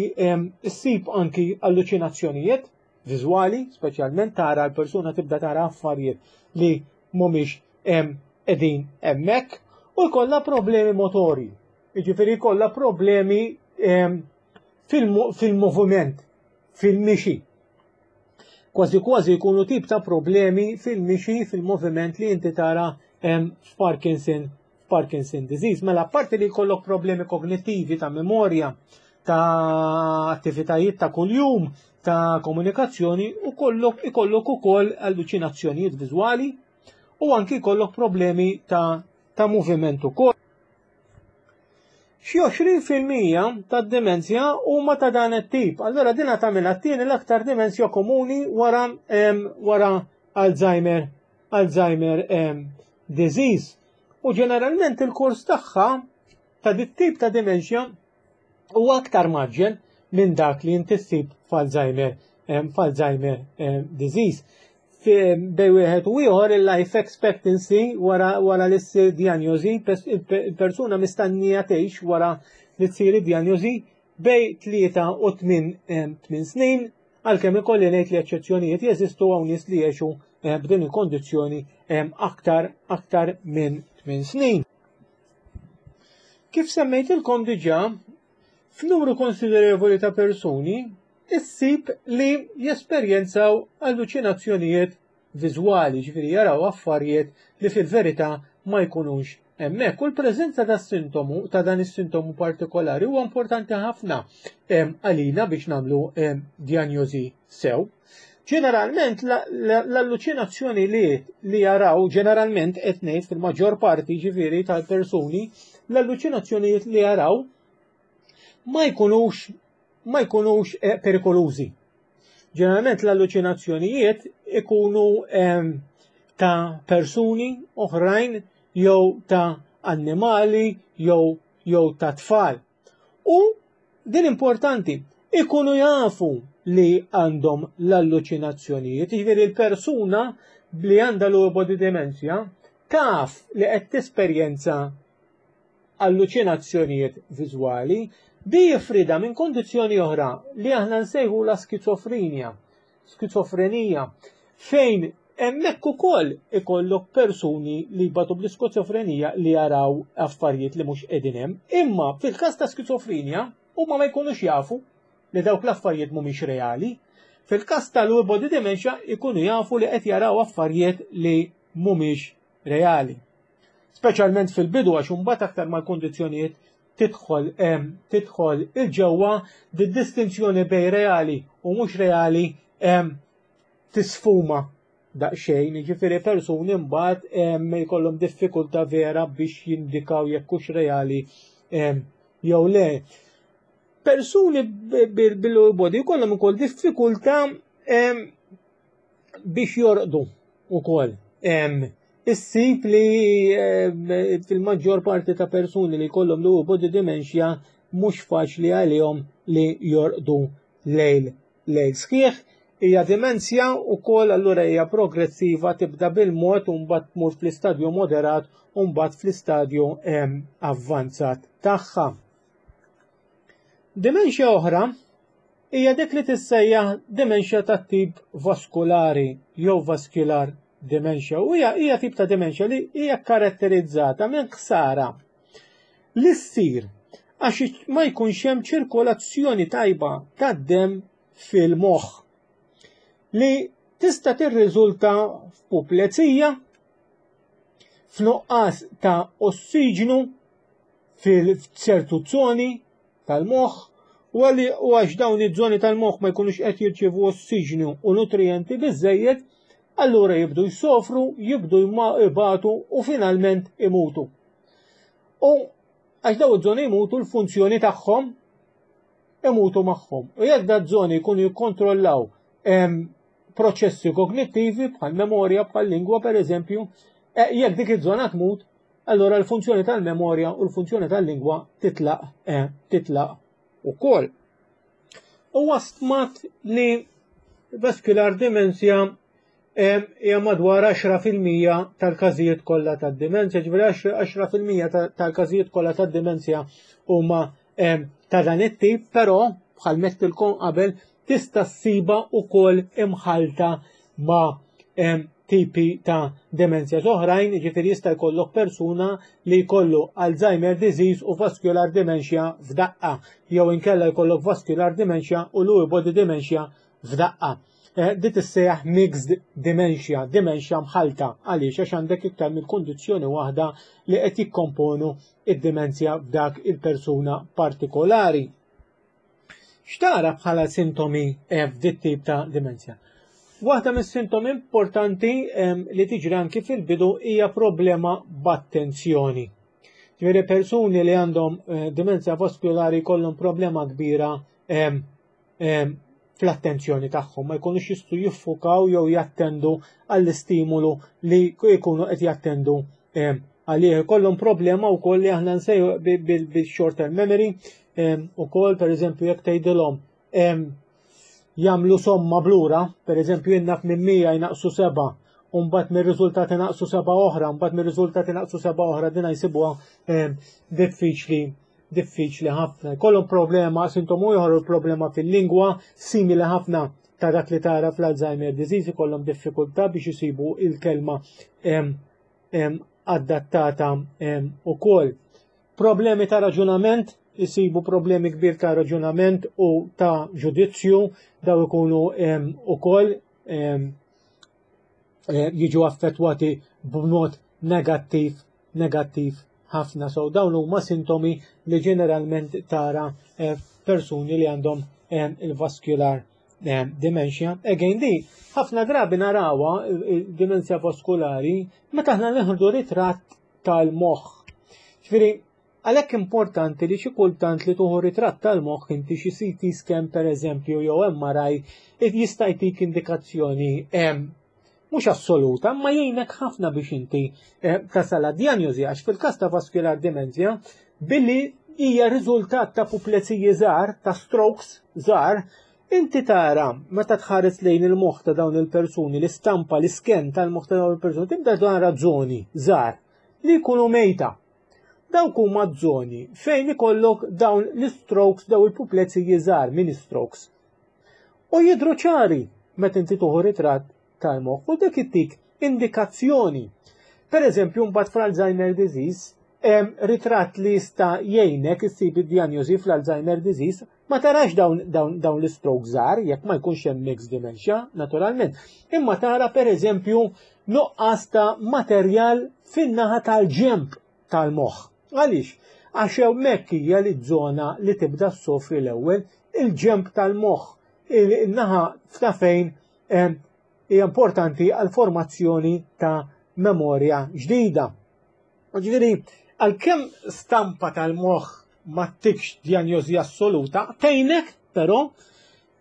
issib anki alluċinazzjonijiet viżwali, speċjalment tara l-persuna tibda tara affarijiet li mhumiex qegħdin hemmhekk u jkollha problemi motori. Jiġifieri jkollha problemi fil-moviment, fil-mixi. Kważi kważi jkunu tip ta' problemi fil-mixi, fil-moviment li inti tara f'Parkinson Parkinson disease. Mela apparti li jkollok problemi kognittivi ta' memorja, ta' attivitajiet ta' kuljum, ta' komunikazzjoni u kollok ikollok ukoll alluċinazzjonijiet viżwali u anki jkollok problemi ta' ta' moviment ukoll. Xi 20% tad-demenzja huma ta' dan it-tip. Allura din tagħmilha t-tieni l-aktar demenzja komuni wara wara Alzheimer Alzheimer disease. U ġeneralment il-kors tagħha ta' dit tip ta' dementia huwa aktar maġġel minn dak li inti ssib f'Alzheimer f'Alzheimer disease. Bej wieħed u ieħor il-life expectancy wara wara li ssir diagnosi, il-persuna mistennija tgħix wara li tsir id-diagnosi bej tlieta u tmien snin, għalkemm ikolli ngħid li eċċezzjonijiet jeżistu hawn nies li jgħixu b'din il-kondizzjoni aktar aktar minn 8 snin. Kif semmejtilkom diġà, f'numru konsiderevoli ta' persuni issib li jesperjenzaw alluċinazzjonijiet viżwali, ġifieri jaraw affarijiet li fil-verità ma jkunux hemmhekk. U l-preżenza tas-sintomu ta' dan is-sintomu partikolari huwa importanti ħafna għalina biex nagħmlu dijanjosi sew. Ġeneralment l-alluċinazzjoni li li jaraw ġeneralment qed ngħid fil-maġġor parti ġifieri tal-persuni l-alluċinazzjonijiet li jaraw ma jkunux ma jkunux eh, perikolużi. Ġeneralment l-alluċinazzjonijiet ikunu ehm, ta' persuni oħrajn jew ta' annimali jew jew ta' tfal. U din importanti, ikunu jafu li għandhom l-alluċinazzjonijiet, jiġifieri l-persuna li għandha l body dementia taf li qed tesperjenza alluċinazzjonijiet viżwali bi jifrida minn kondizzjoni oħra li aħna nsejħu la skizofrenja, skizofrenija, fejn hemmhekk ukoll ikollok persuni li jbatu bl-iskizofrenija li jaraw affarijiet li mhux qegħdin hemm, imma fil-każ ta' skizofrenja huma ma jkunux jafu li dawk l-affarijiet mhumiex reali. Fil-każ tal-Lewy body dementia ikunu jafu li qed jaraw affarijiet li mhumiex reali. Speċjalment fil-bidu għax imbagħad aktar mal-kundizzjonijiet tidħol tidħol il-ġewwa di-distinzjoni bej reali u mhux reali tisfuma daqsxejn, jiġifieri persuni mbagħad jkollhom diffikultà vera biex jindikaw jekk hux reali jew le. Persuni bil-body jkollhom ukoll diffikultà biex jorqdu ukoll. Issib li fil-maġġor parti ta' persuni li jkollhom Lewy body dementia mhux faċli għalihom li jorqdu lejl lejl sħiħ. Hija demenzja wkoll allura hija progressiva tibda bil-mod u mbagħad tmur fl-istadju moderat u mbagħad fl-istadju avvanzat tagħha. Dementia oħra hija dik li tissejjaħ dementia tat-tip vaskulari jew vascular dementia u hija hija tip ta' dementia li hija karatterizzata minn ħsara li ssir għax ma jkunx hemm ċirkolazzjoni tajba tad-demm fil-moħħ li tista' tirriżulta f'puplezija, f'nuqqas ta' ossiġnu fil-ċertu żoni tal-moħħ u għalli u għax dawn iż-żoni tal-moħħ ma jkunux qed jirċievu ossiġnu u nutrijenti biżejjed, allura jibdu jsofru, jibdu jbatu u finalment imutu. U għax dawn iż-żoni jmutu l-funzjoni tagħhom imutu magħhom. U jekk da żoni jkunu jikkontrollaw proċessi kognittivi bħal memorja, bħal lingwa per eżempju, eh, jekk dik iż-żona tmut, allura l-funzjoni tal-memorja u l-funzjoni tal-lingwa titlaq eh, titlaq ukoll. Huwa stmat li vascular dementia eh, hija madwar 10% tal-każijiet kollha tad-demenzja, ġifieri 10% tal-każijiet kollha tad-demenzja huma eh, ta' dan it-tip, però bħal mettilkom qabel tista' ssiba wkoll imħalta ma' tipi ta' demenzja oħrajn, jiġifieri jista' jkollok persuna li jkollu Alzheimer disease u vascular dementia f'daqqa, jew inkella jkollok vascular dementia u Lewy body dementia f'daqqa. Eh, di tissejjaħ mixed dementia, dementia mħalta, għaliex għax għandek iktar minn kundizzjoni waħda li qed jikkomponu id-demenzja f'dak il-persuna partikolari. X'tara bħala sintomi eh, f'dit tip ta' dimensja? Waħda mis-sintomi importanti li tiġri anki fil-bidu hija problema b'attenzjoni. Ġifieri persuni li għandhom eh, dimensja vaskulari jkollhom problema kbira fl-attenzjoni tagħhom, ma jkunux jistgħu jiffukaw jew jattendu għall-istimulu li jkunu qed jattendu għalih. Ikollhom problema wkoll li aħna nsejħu bil-short term memory ukoll pereżempju jekk tgħidilhom jagħmlu somma blura, pereżempju jien naf minn 100 jnaqsu seba' u mbagħad mir-riżultati naqsu seba' oħra, mbagħad mir-riżultati naqsu seba' oħra, dina jsibuha diffiċli diffiċli ħafna. Jkollhom problema, sintomu ieħor problema fil-lingwa simili ħafna ta' dak li tara fl-Alzheimer disease ikollhom diffikultà biex isibu il-kelma adattata ukoll. Problemi ta' raġunament, isibu problemi kbir ta' raġunament u ta' ġudizzju, daw ikunu ukoll eh, jiġu affettwati b'mod negattiv negattiv ħafna. So dawn huma sintomi li ġeneralment tara eh, persuni li għandhom eh, il-vascular eh, dementia. Again di, ħafna drabi narawa dimensja vaskulari meta aħna neħdu ritratt tal-moħħ. Ġifieri, għalhekk importanti li xi kultant li tuħu ritratt tal-moħħ inti xi CT scan pereżempju jew MRI jista' jtik indikazzjoni mhux assoluta, ma jgħinek ħafna biex inti eh, tasal għad-dijanjosi għax fil-każ ta' vascular dementia billi hija riżultat ta' pupleziji żgħar, ta' strokes żgħar, inti tara meta tħares lejn il-moħħ ta' dawn il-persuni, l-istampa, l-isken tal-moħħ ta' dawn il-persuni, tibda tara żoni żgħar li jkunu mejta. Dawk huma żoni fejn ikollok dawn l-strokes, dawn il-pupleziji żgħar, mini strokes. U jidhru ċari meta inti tuħu ritratt tal-moħħ u dik ittik indikazzjoni. Per eżempju, mbagħad fl-Alzheimer disease, hemm ritratt li jista' jgħinek issib id-dijanjosi fl-Alzheimer disease, ma tarax dawn, dawn, dawn l-stroke żgħar jekk ma jkunx hemm mixed dementia, naturalment. Imma tara per eżempju nuqqas ta' materjal fin-naħa tal-ġemp tal-moħħ. Għaliex? Għax hemmhekk hija li żona li tibda ssofri l-ewwel il-ġemp tal-moħħ, il-naħa ta' fejn hija importanti għal formazzjoni ta' memorja ġdida. Ġifieri, għalkemm stampa tal-moħħ ma tikx djanjosi assoluta, tgħinek però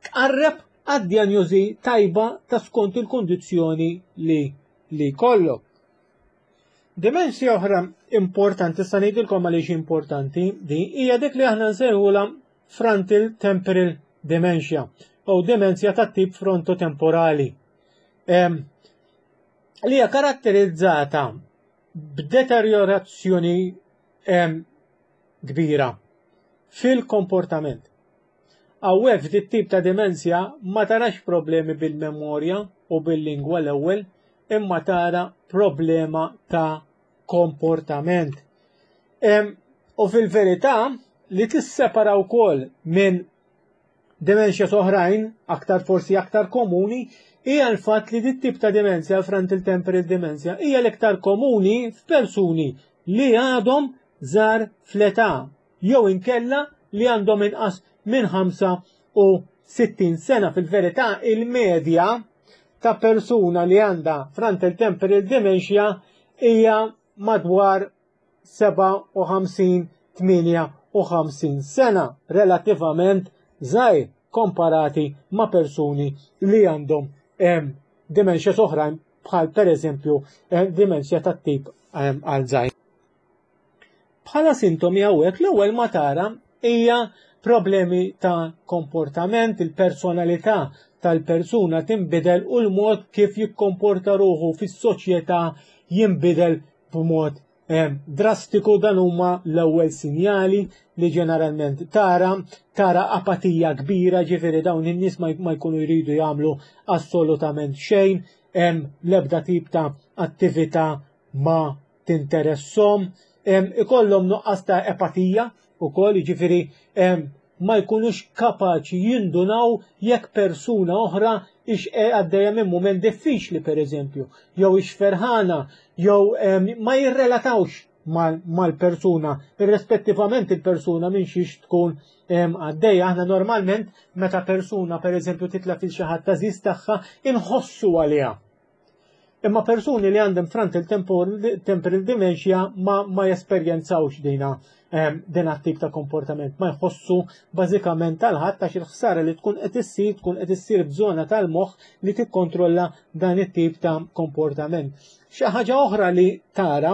tqarreb għad-djanjosi tajba ta' skont il-kondizzjoni li li jkollok. Dimensja oħra importanti, sa ngħidilkom għaliex importanti, di hija dik li aħna nsejħulha frontal temporal dementia u demenzja tat-tip frontotemporali. Li hija karatterizzata b'deteriorazzjoni kbira fil-komportament. Hawnhekk f'dit tip ta' demenzja ma tarax problemi bil-memorja u bil-lingwa l-ewwel imma tara problema ta' komportament. U fil-verità li tissepara wkoll minn demenzja oħrajn, aktar forsi aktar komuni, hija l-fatt li dit tip ta' demenzja, frontal temporal dementia, hija l-iktar komuni f'persuni li għadhom żgħar fl-età jew inkella li għandhom inqas minn 65 sena. Fil-verità il-medja ta' persuna li għandha frontal temporal dementia hija madwar 57-58 sena, relattivament żgħir komparati ma' persuni li għandhom dementia oħrajn bħal pereżempju dementia tat-tip Alzheimer. Bħala sintomi hawnhekk l-ewwel ma tara hija problemi ta' komportament, il-personalità tal-persuna tinbidel u l-mod kif jikkomporta ruħu fis-soċjetà jinbidel b'mod eh, drastiku dan huma l-ewwel sinjali li ġeneralment tara, tara apatija kbira, ġifieri dawn in-nies ma jkunu jridu jagħmlu assolutament xejn, hemm l-ebda tip ta' attività ma tinteresshom, ikollhom nuqqas ta' epatija wkoll, jiġifieri ma jkunux kapaċi jindunaw jekk persuna oħra ix e, għaddejja minn mument diffiċli pereżempju, jew ix ferħana, jew ma jirrelatawx mal-persuna, irrispettivament il-persuna minn xiex tkun għaddejja. Aħna normalment meta persuna pereżempju titla' fil xi ħadd tażiż tagħha inħossu għaliha. Imma persuni li għandhom frontal temporal dementia ma, ma jesperjenzawx dina ehm, din tip ta' komportament, ma jħossu bażikament tal-ħadd għax il-ħsara li tkun qed issir tkun qed issir f'żona tal-moħħ li tikkontrolla dan it-tip ta' komportament. Xi ħaġa oħra li tara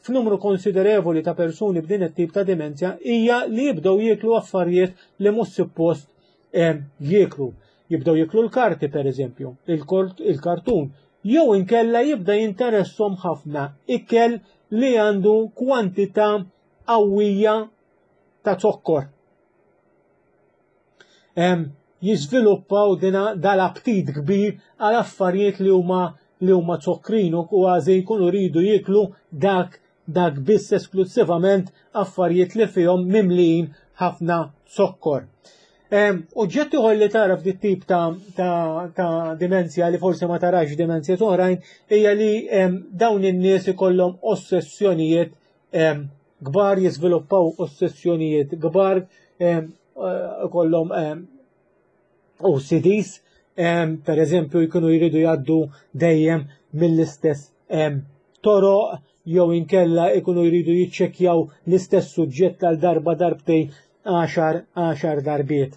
f'numru konsiderevoli ta' persuni b'din it-tip ta' demenzja hija li jibdew jieklu affarijiet li mhux suppost jieklu. Jibdew jieklu l-karti pereżempju, il-kartun, jew inkella jibda jinteressom ħafna ikel li għandu kwantità qawwija ta' zokkor. Jiżviluppaw dina dal-aptit kbir għal affarijiet li huma li huma zokkrin u kważi jkunu jridu jieklu dak dak biss esklussivament affarijiet li fihom mimlijin ħafna zokkor. Oġġett ieħor li tara f'dit tip ta', ta, ta dimenzja li forsi ma tarax dimenzja oħrajn hija li dawn in-nies ikollhom ossessjonijiet kbar jiżviluppaw ossessjonijiet kbar ikollhom OCDs, per eżempju jkunu jridu jgħaddu dejjem mill-istess toroq jew inkella jkunu jridu jiċċekkjaw l-istess suġġett għal darba darbtejn għaxar għaxar darbiet.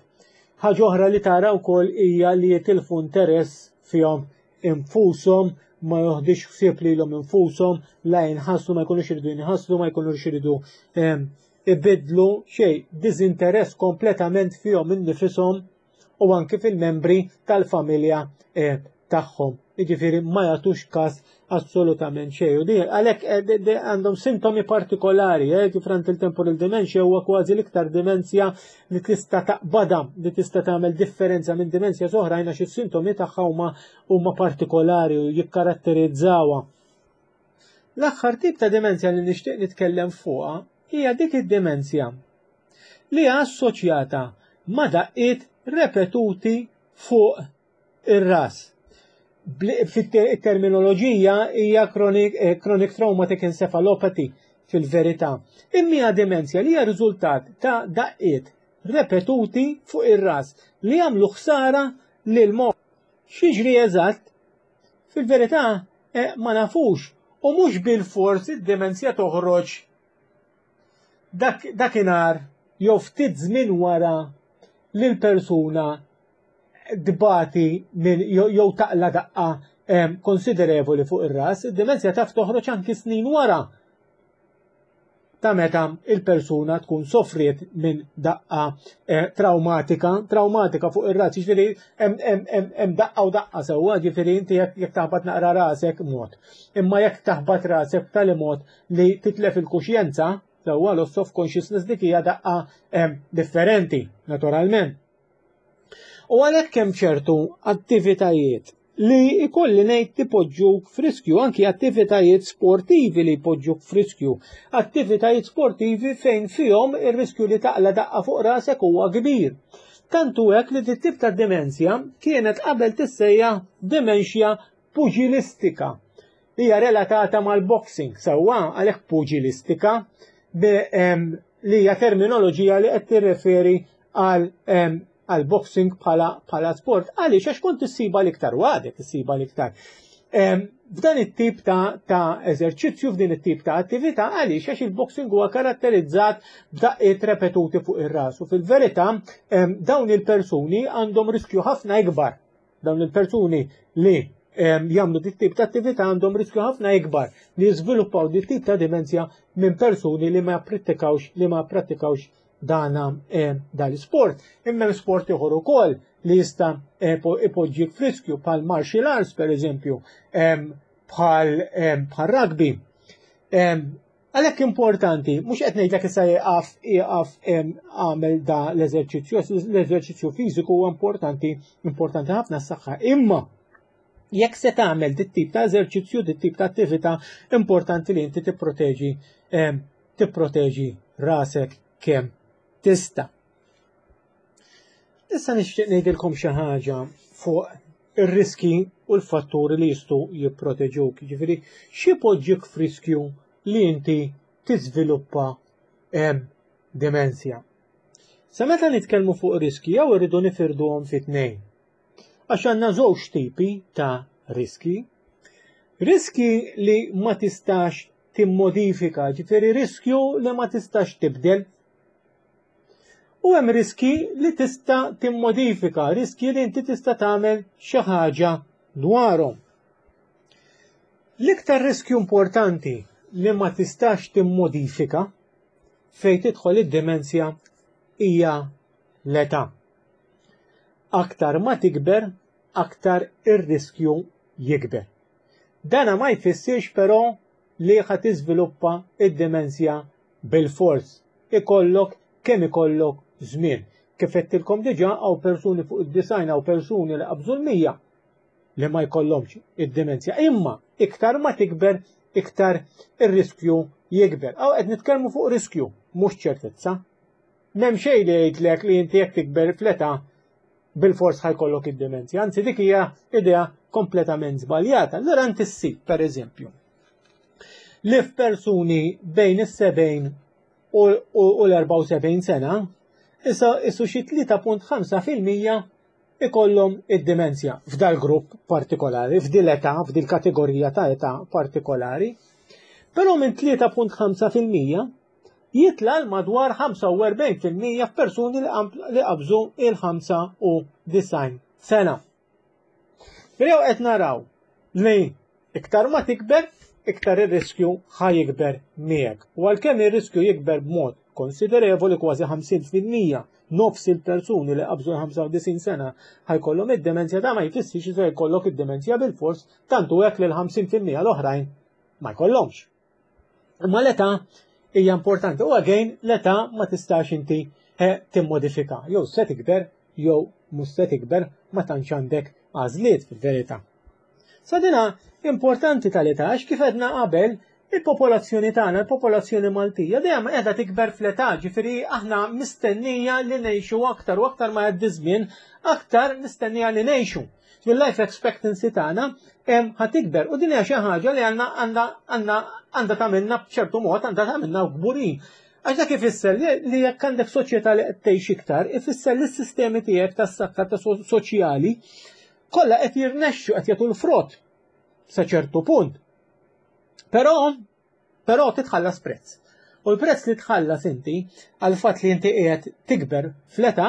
Ħaġa oħra li tara wkoll hija li jitilfu interess fihom infushom ma joħdix ħsieb lilhom infushom, la jinħaslu ma jkunux iridu jinħaslu, ma jkunux iridu ibiddlu xejn, diżinteress kompletament fihom innifishom u anki fil-membri tal-familja eh, tagħhom. Jiġifieri ma jagħtux każ assolutament xejn. U din għalhekk eh, għandhom sintomi partikolari, eh, kif frontal temporal dementia huwa kważi l-iktar demenzja li tista' taqbada, li tista' tagħmel differenza minn demenzja oħrajn għax is-sintomi tagħha huma huma partikolari u jikkaratterizzawha. L-aħħar tip ta' demenzja li nixtieq nitkellem fuqha hija dik id-demenzja li hija assoċjata ma' daqqiet repetuti fuq ir-ras. Fit-terminoloġija hija chronic, eh, chronic traumatic encephalopathy fil-verità. Imma hija demenzja li hija riżultat ta' daqqiet repetuti fuq ir-ras li jagħmlu ħsara lil moħħ. X'jiġri eżatt? Fil-verità eh, ma nafux u mhux bil-fors id-demenzja toħroġ dak dakinhar jew ftit żmien wara li l-persuna tbati minn jew taqla daqqa konsiderevoli fuq ir-ras, id-demenzja taf toħroġ anki snin wara ta' meta il-persuna tkun sofriet minn daqqa eh, traumatika, traumatika fuq ir-ras, jiġifieri hemm daqqa u daqqa sewwa, jiġifieri inti jekk taħbat naqra rasek mod. Imma jekk taħbat rasek b'tali mod li titlef il-kuxjenza, sewwa loss of consciousness dik hija daqqa differenti, naturalment. U għalhekk hemm ċertu attivitajiet li ikolli ngħid tipoġġuk f'riskju, anki attivitajiet sportivi li jpoġġuk f'riskju, attivitajiet sportivi fejn fihom ir-riskju li taqla daqqa fuq rasek huwa kbir. Tantu hekk li dit tip ta' demenzja kienet qabel tissejjaħ dementia pugilistika. Hija relatata mal-boxing, sewwa għalhekk pugilistika li hija terminoloġija li qed tirreferi għal għal boxing bħala bħala sport. Għaliex għax kont issiba l-iktar u għadek issiba l-iktar. F'dan it-tip ta', ta eżerċizzju, f'din it-tip ta' attività, għaliex għax il-boxing huwa karatterizzat b'daqqiet repetuti fuq ir-ras. U fil-verità dawn il-persuni għandhom riskju ħafna ikbar. Dawn il-persuni li jagħmlu dit tip ta' attività għandhom riskju ħafna ikbar li jiżviluppaw dit tip ta' dimenzja minn persuni li ma prattikawx li ma prattikawx dana eh, dal-sport. Imma hemm sport ieħor ukoll li jista' eh, ipoġġik friskju bħal martial arts per eżempju, bħal bħal rugby. Għalhekk importanti, mhux qed ngħidlek issa jieqaf jieqaf għamel da l-eżerċizzju, l-eżerċizzju fiżiku huwa importanti, importanti ħafna s-saħħa. Imma jekk se tagħmel dit tip ta' eżerċizzju, dit tip ta' attività, importanti li inti tipproteġi tipproteġi rasek kemm tista'. Issa nixtieq ngħidilkom xi ħaġa fuq ir-riski u l-fatturi li jistgħu jipproteġuk. Jiġifieri xi poġġik f'riskju li inti tiżviluppa demenzja. Sa meta nitkellmu fuq riski jew irridu nifirduhom fi tnejn. Għax għandna żewġ tipi ta' riski. Riski li ma tistax timmodifika, ġifieri riskju li ma tistax tibdel. U hemm riski li tista' timmodifika, riski li inti tista' tagħmel xi ħaġa dwarhom. L-iktar riskju importanti li ma tistax timmodifika fejn tidħol id-demenzja hija l-età. Aktar ma tikber, aktar ir-riskju jikber. Dana ma jfissirx però li ħa tiżviluppa id-demenzja bilfors. Ikollok kemm ikollok żmien. Kif għedtilkom diġà hawn persuni fuq id-90 hawn persuni li qabżu l-100 li ma jkollhomx id-dimensja. Imma iktar ma tikber iktar ir-riskju jikber. Hawn qed nitkellmu fuq riskju, mhux ċertezza. M'hemm xejn li jgħidlek li inti jekk tikber fl-età bilfors ħajkollok id-dimensja. Anzi dik hija idea kompletament żbaljata. Allura inti ssib, pereżempju, li f'persuni bejn is-70 u l-74 sena, issa issu xi 3.5% ikollhom id-dimensja f'dal grupp partikolari, f'dil età, f'dil kategorija ta' età partikolari. Però minn 3.5% jitla' l madwar 45% f'persuni li qabżu il-95 sena. Però qed naraw li iktar ma tikber, iktar ir-riskju ħa jikber miegħek. U għalkemm ir-riskju jikber b'mod konsiderevoli kważi 50% nofs il-persuni li qabżu l-95 sena ħajkollhom id-demenzja ta' ma jfissirx li se jkollok id-demenzja bil-fors tantu hekk li l-50% l-oħrajn ma jkollhomx. Imma l-età hija importanti u again l-età ma tistax inti eh, timmodifika jew se tikber jew mhux se tikber ma tantx għandek għażliet fil-verità. Sa dina importanti tal-età għax kif għedna qabel il-popolazzjoni tagħna, il-popolazzjoni Maltija dejjem qiegħda tikber fl-età, ġifieri aħna mistennija li ngħixu aktar u aktar ma jgħaddi żmien, aktar mistennija li ngħixu. Il-life expectancy tagħna ħa tikber u din hija xi ħaġa li għandna għandha għandha għandha tagħmilna b'ċertu mod għandha tagħmilna kburin. Għax dak ifisser li jekk għandek soċjetà li qed tgħix iktar, ifisser li s-sistemi tiegħek tas-saħħa ta' soċjali kollha qed jirnexxu qed jagħtu l-frott sa ċertu punt. Però Però titħallas prezz. U l-prezz li tħallas inti għal fatt li inti qiegħed tikber fl-età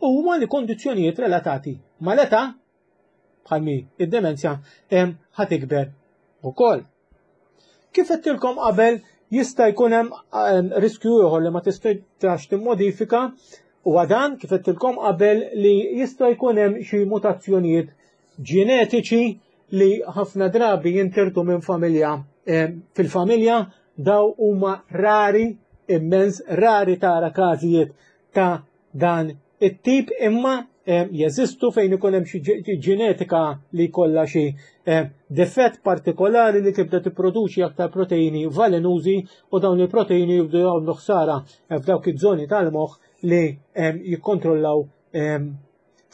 huma li kondizzjonijiet relatati mal-età bħal mi id-demenzja hemm ħa tikber ukoll. Kif għedtilkom qabel jista' jkun hemm riskju ieħor li ma tistax timmodifika huwa dan kif għedtilkom qabel li jista' jkun hemm xi mutazzjonijiet ġenetiċi li ħafna drabi jintirtu minn familja eh, fil-familja daw huma rari immens rari tara każijiet ta' dan it-tip imma eh, jeżistu fejn ikun hemm xi ġenetika li jkollha xi eh, defett partikolari li tibda tipproduċi aktar proteini valenużi u dawn il-proteini jibdu jagħmlu ħsara f'dawk iż-żoni tal-moħħ li jikkontrollaw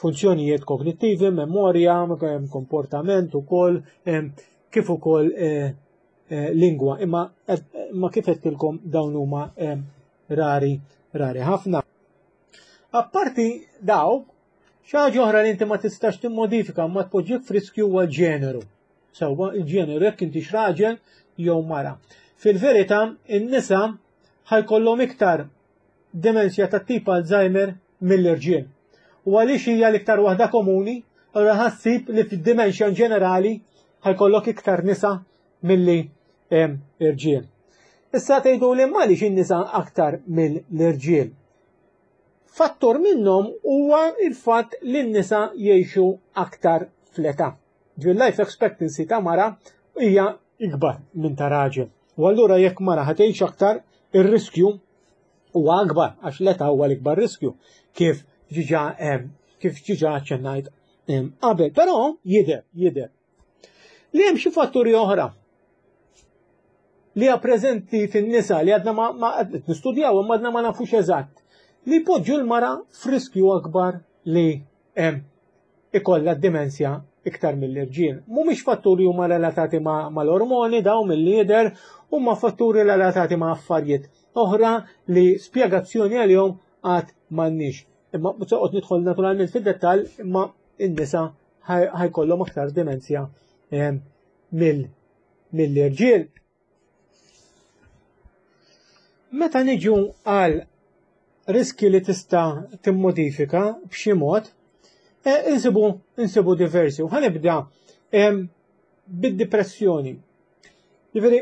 funzjonijiet kognittivi, memorja, komportament ukoll, kif ukoll eh, eh, lingwa. Imma eh, ma kif qedtilkom dawn huma rari rari ħafna. Apparti daw, xi ħaġa oħra li inti ma tistax timmodifika ma tpoġġik f'riskju huwa l-ġeneru. Sewwa il-ġeneru jekk inti raġel jew mara. Fil-verità, in-nisa ħajkollhom iktar demenzja tat-tip Alzheimer mill-irġiel. U għaliex hija l-iktar waħda komuni, allura ħassib li fid-dimensja in ġenerali ħajkollok iktar nisa milli irġiel. Issa tgħidu li għaliex in-nisa aktar mill-irġiel. Fattur minnhom huwa il-fatt li n-nisa jgħixu aktar fl-età. Ġifieri life expectancy ta' mara hija ikbar minn ta' raġel. U allura jekk mara ħa tgħix aktar, ir-riskju huwa akbar għax l-età huwa l-ikbar riskju kif ġiġa kif ġiġa ċennajt qabel. Però jidher, jidher li hemm xi fatturi oħra li hija preżenti fin-nisa li għadna ma, ma nistudjaw imma għadna ma nafux eżatt li jpoġġu l-mara f'riskju akbar li ikollha d-dimensja iktar mill-irġiel. Mhumiex fatturi huma relatati mal-ormoni daw mill-lider, huma fatturi relatati ma' affarijiet oħra li spjegazzjoni għalihom għad m'għandniex. Imma mhux se nidħol naturalment fid-dettall, imma n-nisa ħajkollhom aktar dimensja eh, mill-irġiel. Meta niġu għal riski li tista' timmodifika b'xi mod, eh, insibu insibu diversi. U ħanibda bid-depressjoni. Ġifieri,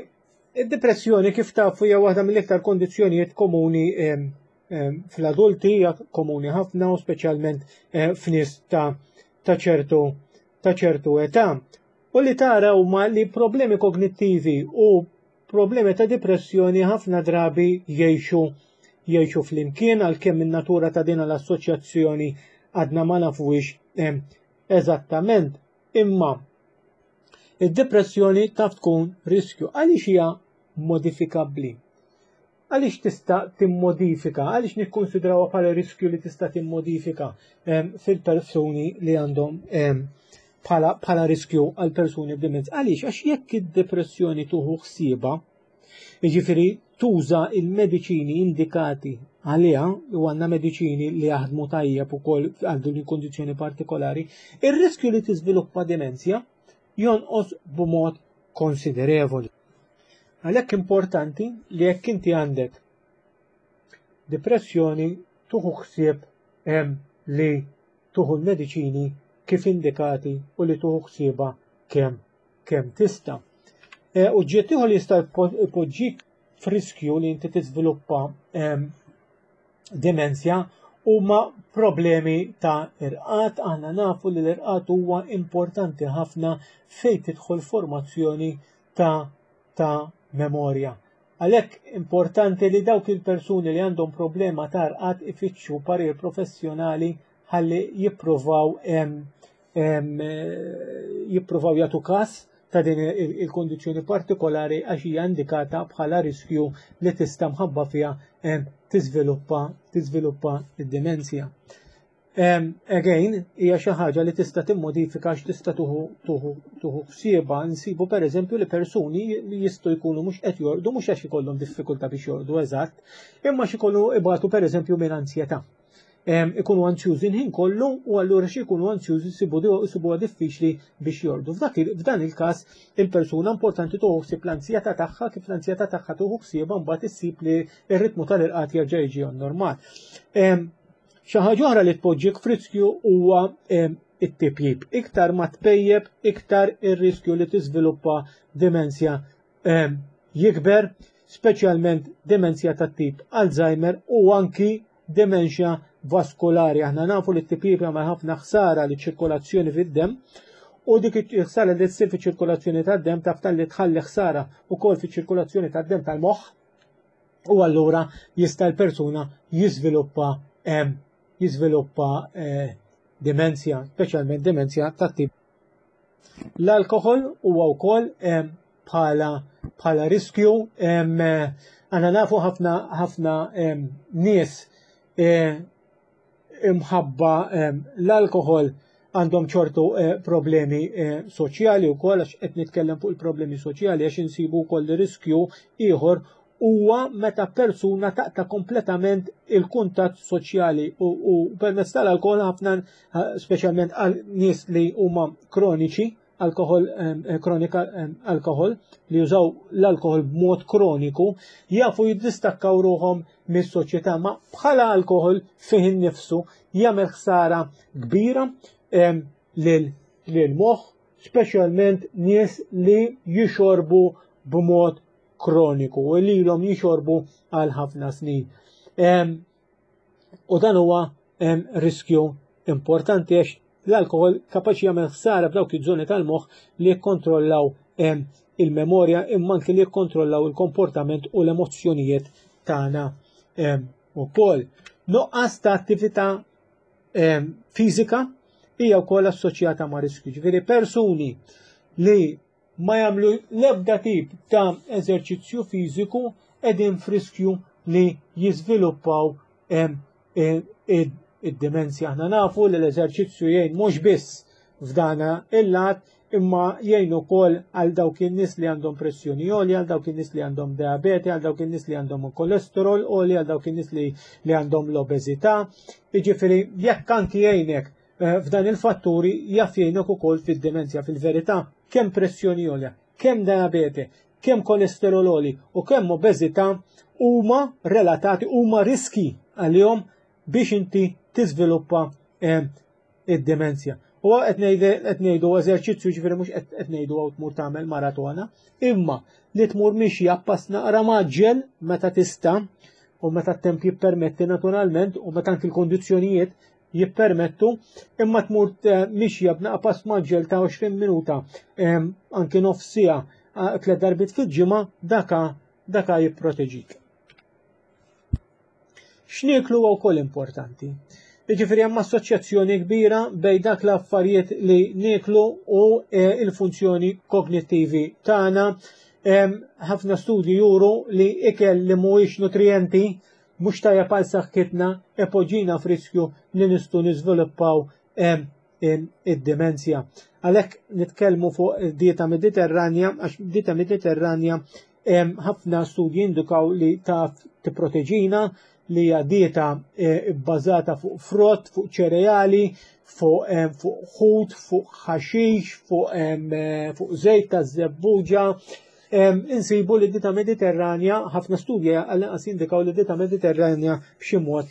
id-depressjoni kif tafu hija waħda mill-iktar kondizzjonijiet komuni fl-adulti, hija komuni ħafna u speċjalment eh, f'nies ta' ta' ċertu ta' ċertu età. U li tara huma li problemi kognittivi u problemi ta' depressjoni ħafna drabi jgħixu jgħixu flimkien għalkemm in-natura ta' din l-assoċjazzjoni għadna ma nafuhiex eżattament. Imma id-depressjoni taf tkun riskju għaliex hija modifikabbli. Għaliex tista' timmodifika, għaliex nikkonsidrawha bħala riskju li tista' timmodifika fil-persuni li għandhom bħala, bħala riskju għal persuni b'demenza. Għaliex? Għax jekk id-depressjoni tuħu ħsieba, jiġifieri tuża il-mediċini indikati għaliha, u għandna mediċini li jaħdmu tajjeb ukoll għal din il-kondizzjoni partikolari, ir-riskju li tiżviluppa demenzja jonqos b'mod konsiderevoli. Għalhekk importanti li jekk inti għandek depressjoni tuħu ħsieb li tuħu l-mediċini kif indikati u li tuħu ħsieba kemm kemm tista'. E, u ġiet ieħor li jista' jpoġġik f'riskju li inti tiżviluppa demenzja huma problemi ta' irqad. Aħna nafu li l-irqad huwa importanti ħafna fejn tidħol formazzjoni ta' ta' memorja. Għalhekk importanti li dawk il-persuni li għandhom problema ta' rqad ifittxu parir professjonali ħalli jippruvaw jippruvaw jagħtu każ ta' din il-kondizzjoni partikolari għax hija indikata bħala riskju li tista' mħabba fiha tiżviluppa tiżviluppa id-dimensja. Again, hija xi ħaġa li tista' timmodifika għax tista' tuħu tuħu tuħu ħsiebha. Nsibu pereżempju li persuni li jistgħu jkunu mhux qed jorqdu mhux għax ikollhom diffikultà biex jorqdu eżatt, imma xi jkollu ibatu pereżempju minn ansjetà. Ikunu anzjużi l-ħin kollu u allura xi jkunu anzjużi jsibuha diffiċli biex jorqdu. F'dan il-każ il-persuna importanti tuħu ħsieb l-anzjetà tagħha kif l-anzjetà tagħha tuħu ħsiebha mbagħad issib li r-ritmu tal-irqad jerġa' jiġi normal. Xi ħaġa oħra li tpoġġik f'riskju huwa it-tipjip. Iktar ma tpejjeb, iktar ir-riskju li tiżviluppa demenzja jikber, speċjalment demenzja tat-tip Alzheimer u anki demenzja vaskulari. Aħna nafu li t-tipjip jagħmel ħafna ħsara li ċirkolazzjoni fid-demm u dik il-ħsara li tsir fiċ-ċirkolazzjoni tad-demm taf talli tħalli ħsara wkoll fiċ-ċirkolazzjoni tad-demm tal-moħħ u allura jista' l-persuna jiżviluppa jiżviluppa eh, demenzja, speċjalment demenzja ta' tip. L-alkohol huwa wkoll bħala bħala riskju għandna nafu ħafna ħafna nies eh, imħabba l-alkohol għandhom ċortu eh, problemi eh, soċjali wkoll għax qed nitkellem fuq il-problemi soċjali għax insibu wkoll riskju ieħor huwa meta persuna taqta kompletament il-kuntatt soċjali u, u permezz tal-alkohol ħafna eh, speċjalment għal nies li huma kroniċi alkohol eh, kronika alkohol li jużaw l-alkohol b'mod kroniku jafu jiddistakkaw ruħhom mis-soċjetà ma bħala alkohol fih innifsu jagħmel ħsara kbira lil moħħ speċjalment nies li jixorbu b'mod kroniku u li ilhom jixorbu għal ħafna snin. U dan huwa riskju importanti għax l-alkohol kapaċi jagħmel ħsara f'dawk iż-żoni tal-moħħ li jikkontrollaw il-memorja imma anki li jikkontrollaw il-komportament u l-emozzjonijiet tagħna ukoll. Nuqqas ta' attività fiżika hija wkoll assoċjata ma' riskju. Ġifieri persuni li ma jagħmlu l-ebda tip ta' eżerċizzju fiżiku qegħdin f'riskju li jiżviluppaw id-demenzja. Aħna nafu li l-eżerċizzju jgħin mhux biss f'dana il-lat imma jgħin ukoll għal dawk in-nies li għandhom pressjoni għolja, għal dawk in-nies li għandhom diabete, għal dawk in-nies li għandhom kolesterol għoli, għal dawk in-nies li, li għandhom l-obeżità. Jiġifieri jekk anki jgħinek eh, f'dan il-fatturi jaf jgħinek ukoll fid-demenzja fil-verità kemm pressjoni għolja, kemm diabete, kemm kolesterol għoli u kemm obeżità huma relatati huma riski għalihom biex inti tiżviluppa eh, id-demenzja. U qed ngħidu eżerċizzju ġifieri mhux qed ngħidu hawn tmur tagħmel maratona, imma li tmur mixja pass naqra maġġel meta tista' u meta t-temp jippermetti naturalment u meta anki l-kondizzjonijiet jippermettu, imma tmur eh, mixja b'naqa pass maġġel ta' 20 minuta, anki nofs siegħa eh, tliet darbiet fil-ġimgħa daka daka jipproteġik. X'nieklu huwa wkoll importanti. Jiġifieri hemm assoċjazzjoni kbira bejn dak l-affarijiet li nieklu u eh, il-funzjoni kognittivi tagħna. Ħafna studji juru li ikel li mhuwiex nutrijenti mhux tajjeb għal saħħitna ipoġġina f'riskju li nistgħu niżviluppaw id-dimensja. Għalhekk nitkellmu fuq dieta Mediterranja għax dieta Mediterranja ħafna studji indikaw li taf tipproteġina li hija dieta eh, bbażata fuq frott, fuq ċereali, fuq eh, ħut, fuq ħaxix, fuq eh, fuq żejt ta' żebbuġa. Insibu li dieta Mediterranja, ħafna studji għall-inqas jindikaw li dieta Mediterranja b'xi mod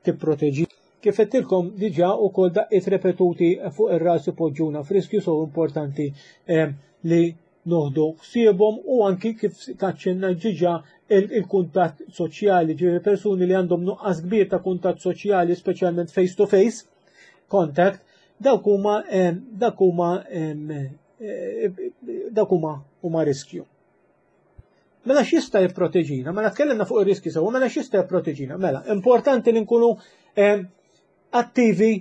tipproteġi. Kif għedtilkom diġà ukoll daqqiet repetuti fuq ir-ras ipoġġuna f'riskju so importanti li noħdu ħsiebhom u anki kif taċċenna ġiġa il-kuntatt soċjali, ġifieri persuni li għandhom nuqqas kbir ta' kuntatt soċjali, speċjalment face to face contact, dawk huma dawk huma eh, dawk huma huma riskju. Mela x'jista' jipproteġina? Mela tkellimna fuq ir-riski sewa, mela x'jista' jipproteġina? Mela, importanti li nkunu eh, attivi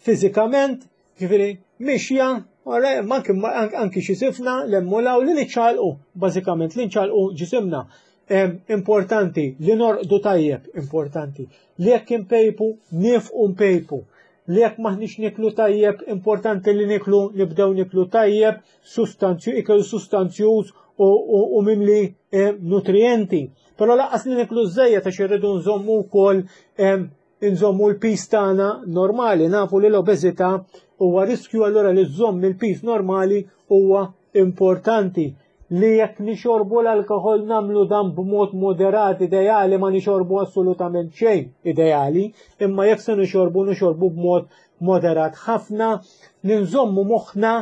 fiżikament, ġifieri mixja, anki xi sifna l-emmulaw li niċċalqu, bażikament li nċalqu ġisimna. Importanti li norqdu tajjeb, importanti. Li jekk impejpu, nifqu mpejpu. Li jekk maħniex niklu tajjeb, importanti li niklu, nibdew niklu tajjeb, sustanzju, ikel sustanzjuż u, u, u mimli eh, nutrienti. Però laqqas li niklu żejjed għax irridu nżommu wkoll eh, inżommu l-piż tagħna normali, nafu li l-obeżità huwa riskju allura li żżomm il-piż normali huwa importanti li jekk nixorbu l-alkohol namlu dan b'mod moderat ideali ma nixorbu assolutament xejn ideali, imma jekk se nixorbu nixorbu b'mod moderat ħafna, li nżommu moħħna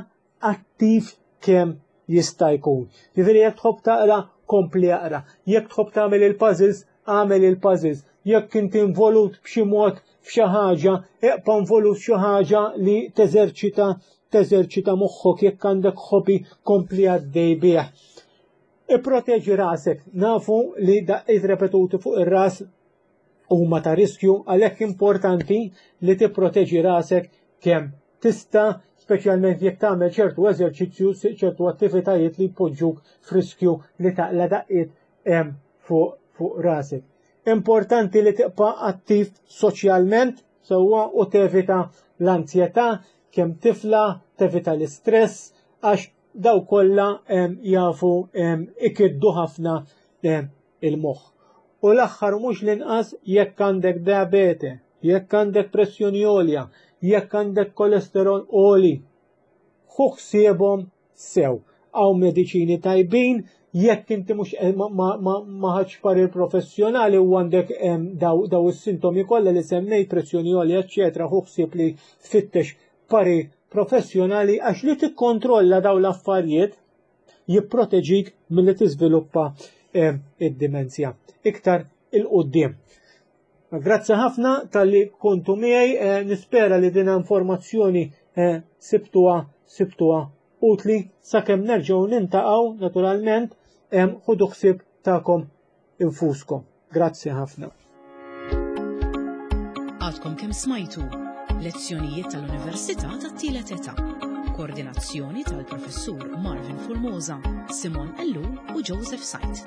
attiv kemm jista' jkun. Jiġifieri jekk tħobb taqra, kompli aqra. Jekk tħobb tagħmel il-puzzles, agħmel il-puzzles. Jekk inti involut b'xi mod f'xi ħaġa, eqpa' involut f'xi ħaġa li teżerċita teżerċita moħħok jekk għandek hobby kompli għaddej bih. Ipproteġi rasek, nafu li daqqiet repetuti fuq ir-ras huma ta' riskju għalhekk importanti li tipproteġi rasek kemm tista' speċjalment jekk tagħmel ċertu eżerċizzju, ċertu attivitajiet li jpoġġuk f'riskju li taqla daqqiet fuq fuq rasek. Importanti li tibqa' attiv soċjalment sewwa u tevita l-anzjetà kemm tifla, tevita l-istress għax daw kollha jafu ikiddu ħafna il-moħħ. U l-aħħar mhux l-inqas jekk għandek diabete, jekk għandek pressjoni għolja, jekk għandek kolesterol għoli, ħu ħsiebhom sew. Hawn mediċini tajbin, jekk inti mhux eh, ma ħadx parir professjonali u għandek daw, daw is-sintomi kollha li semmejt pressjoni għolja, eċċetera, ħu ħsieb li tfittex parir professjonali għax li tikkontrolla daw l-affarijiet jipproteġik milli tiżviluppa eh, id-dimenzja. Iktar il-qoddim. Grazzi ħafna tal-li kontu miegħi, eh, nispera li din informazzjoni eh, sibtuha sibtuha utli sakemm nerġgħu nintaqgħu naturalment ħudu ħsieb tagħkom infuskom. Grazzi ħafna. Għadkom kemm smajtu lezzjonijiet tal-Università tat-Tielet Età. Koordinazzjoni tal-Professur Marvin Formosa, Simon Ellul u Joseph Sajt.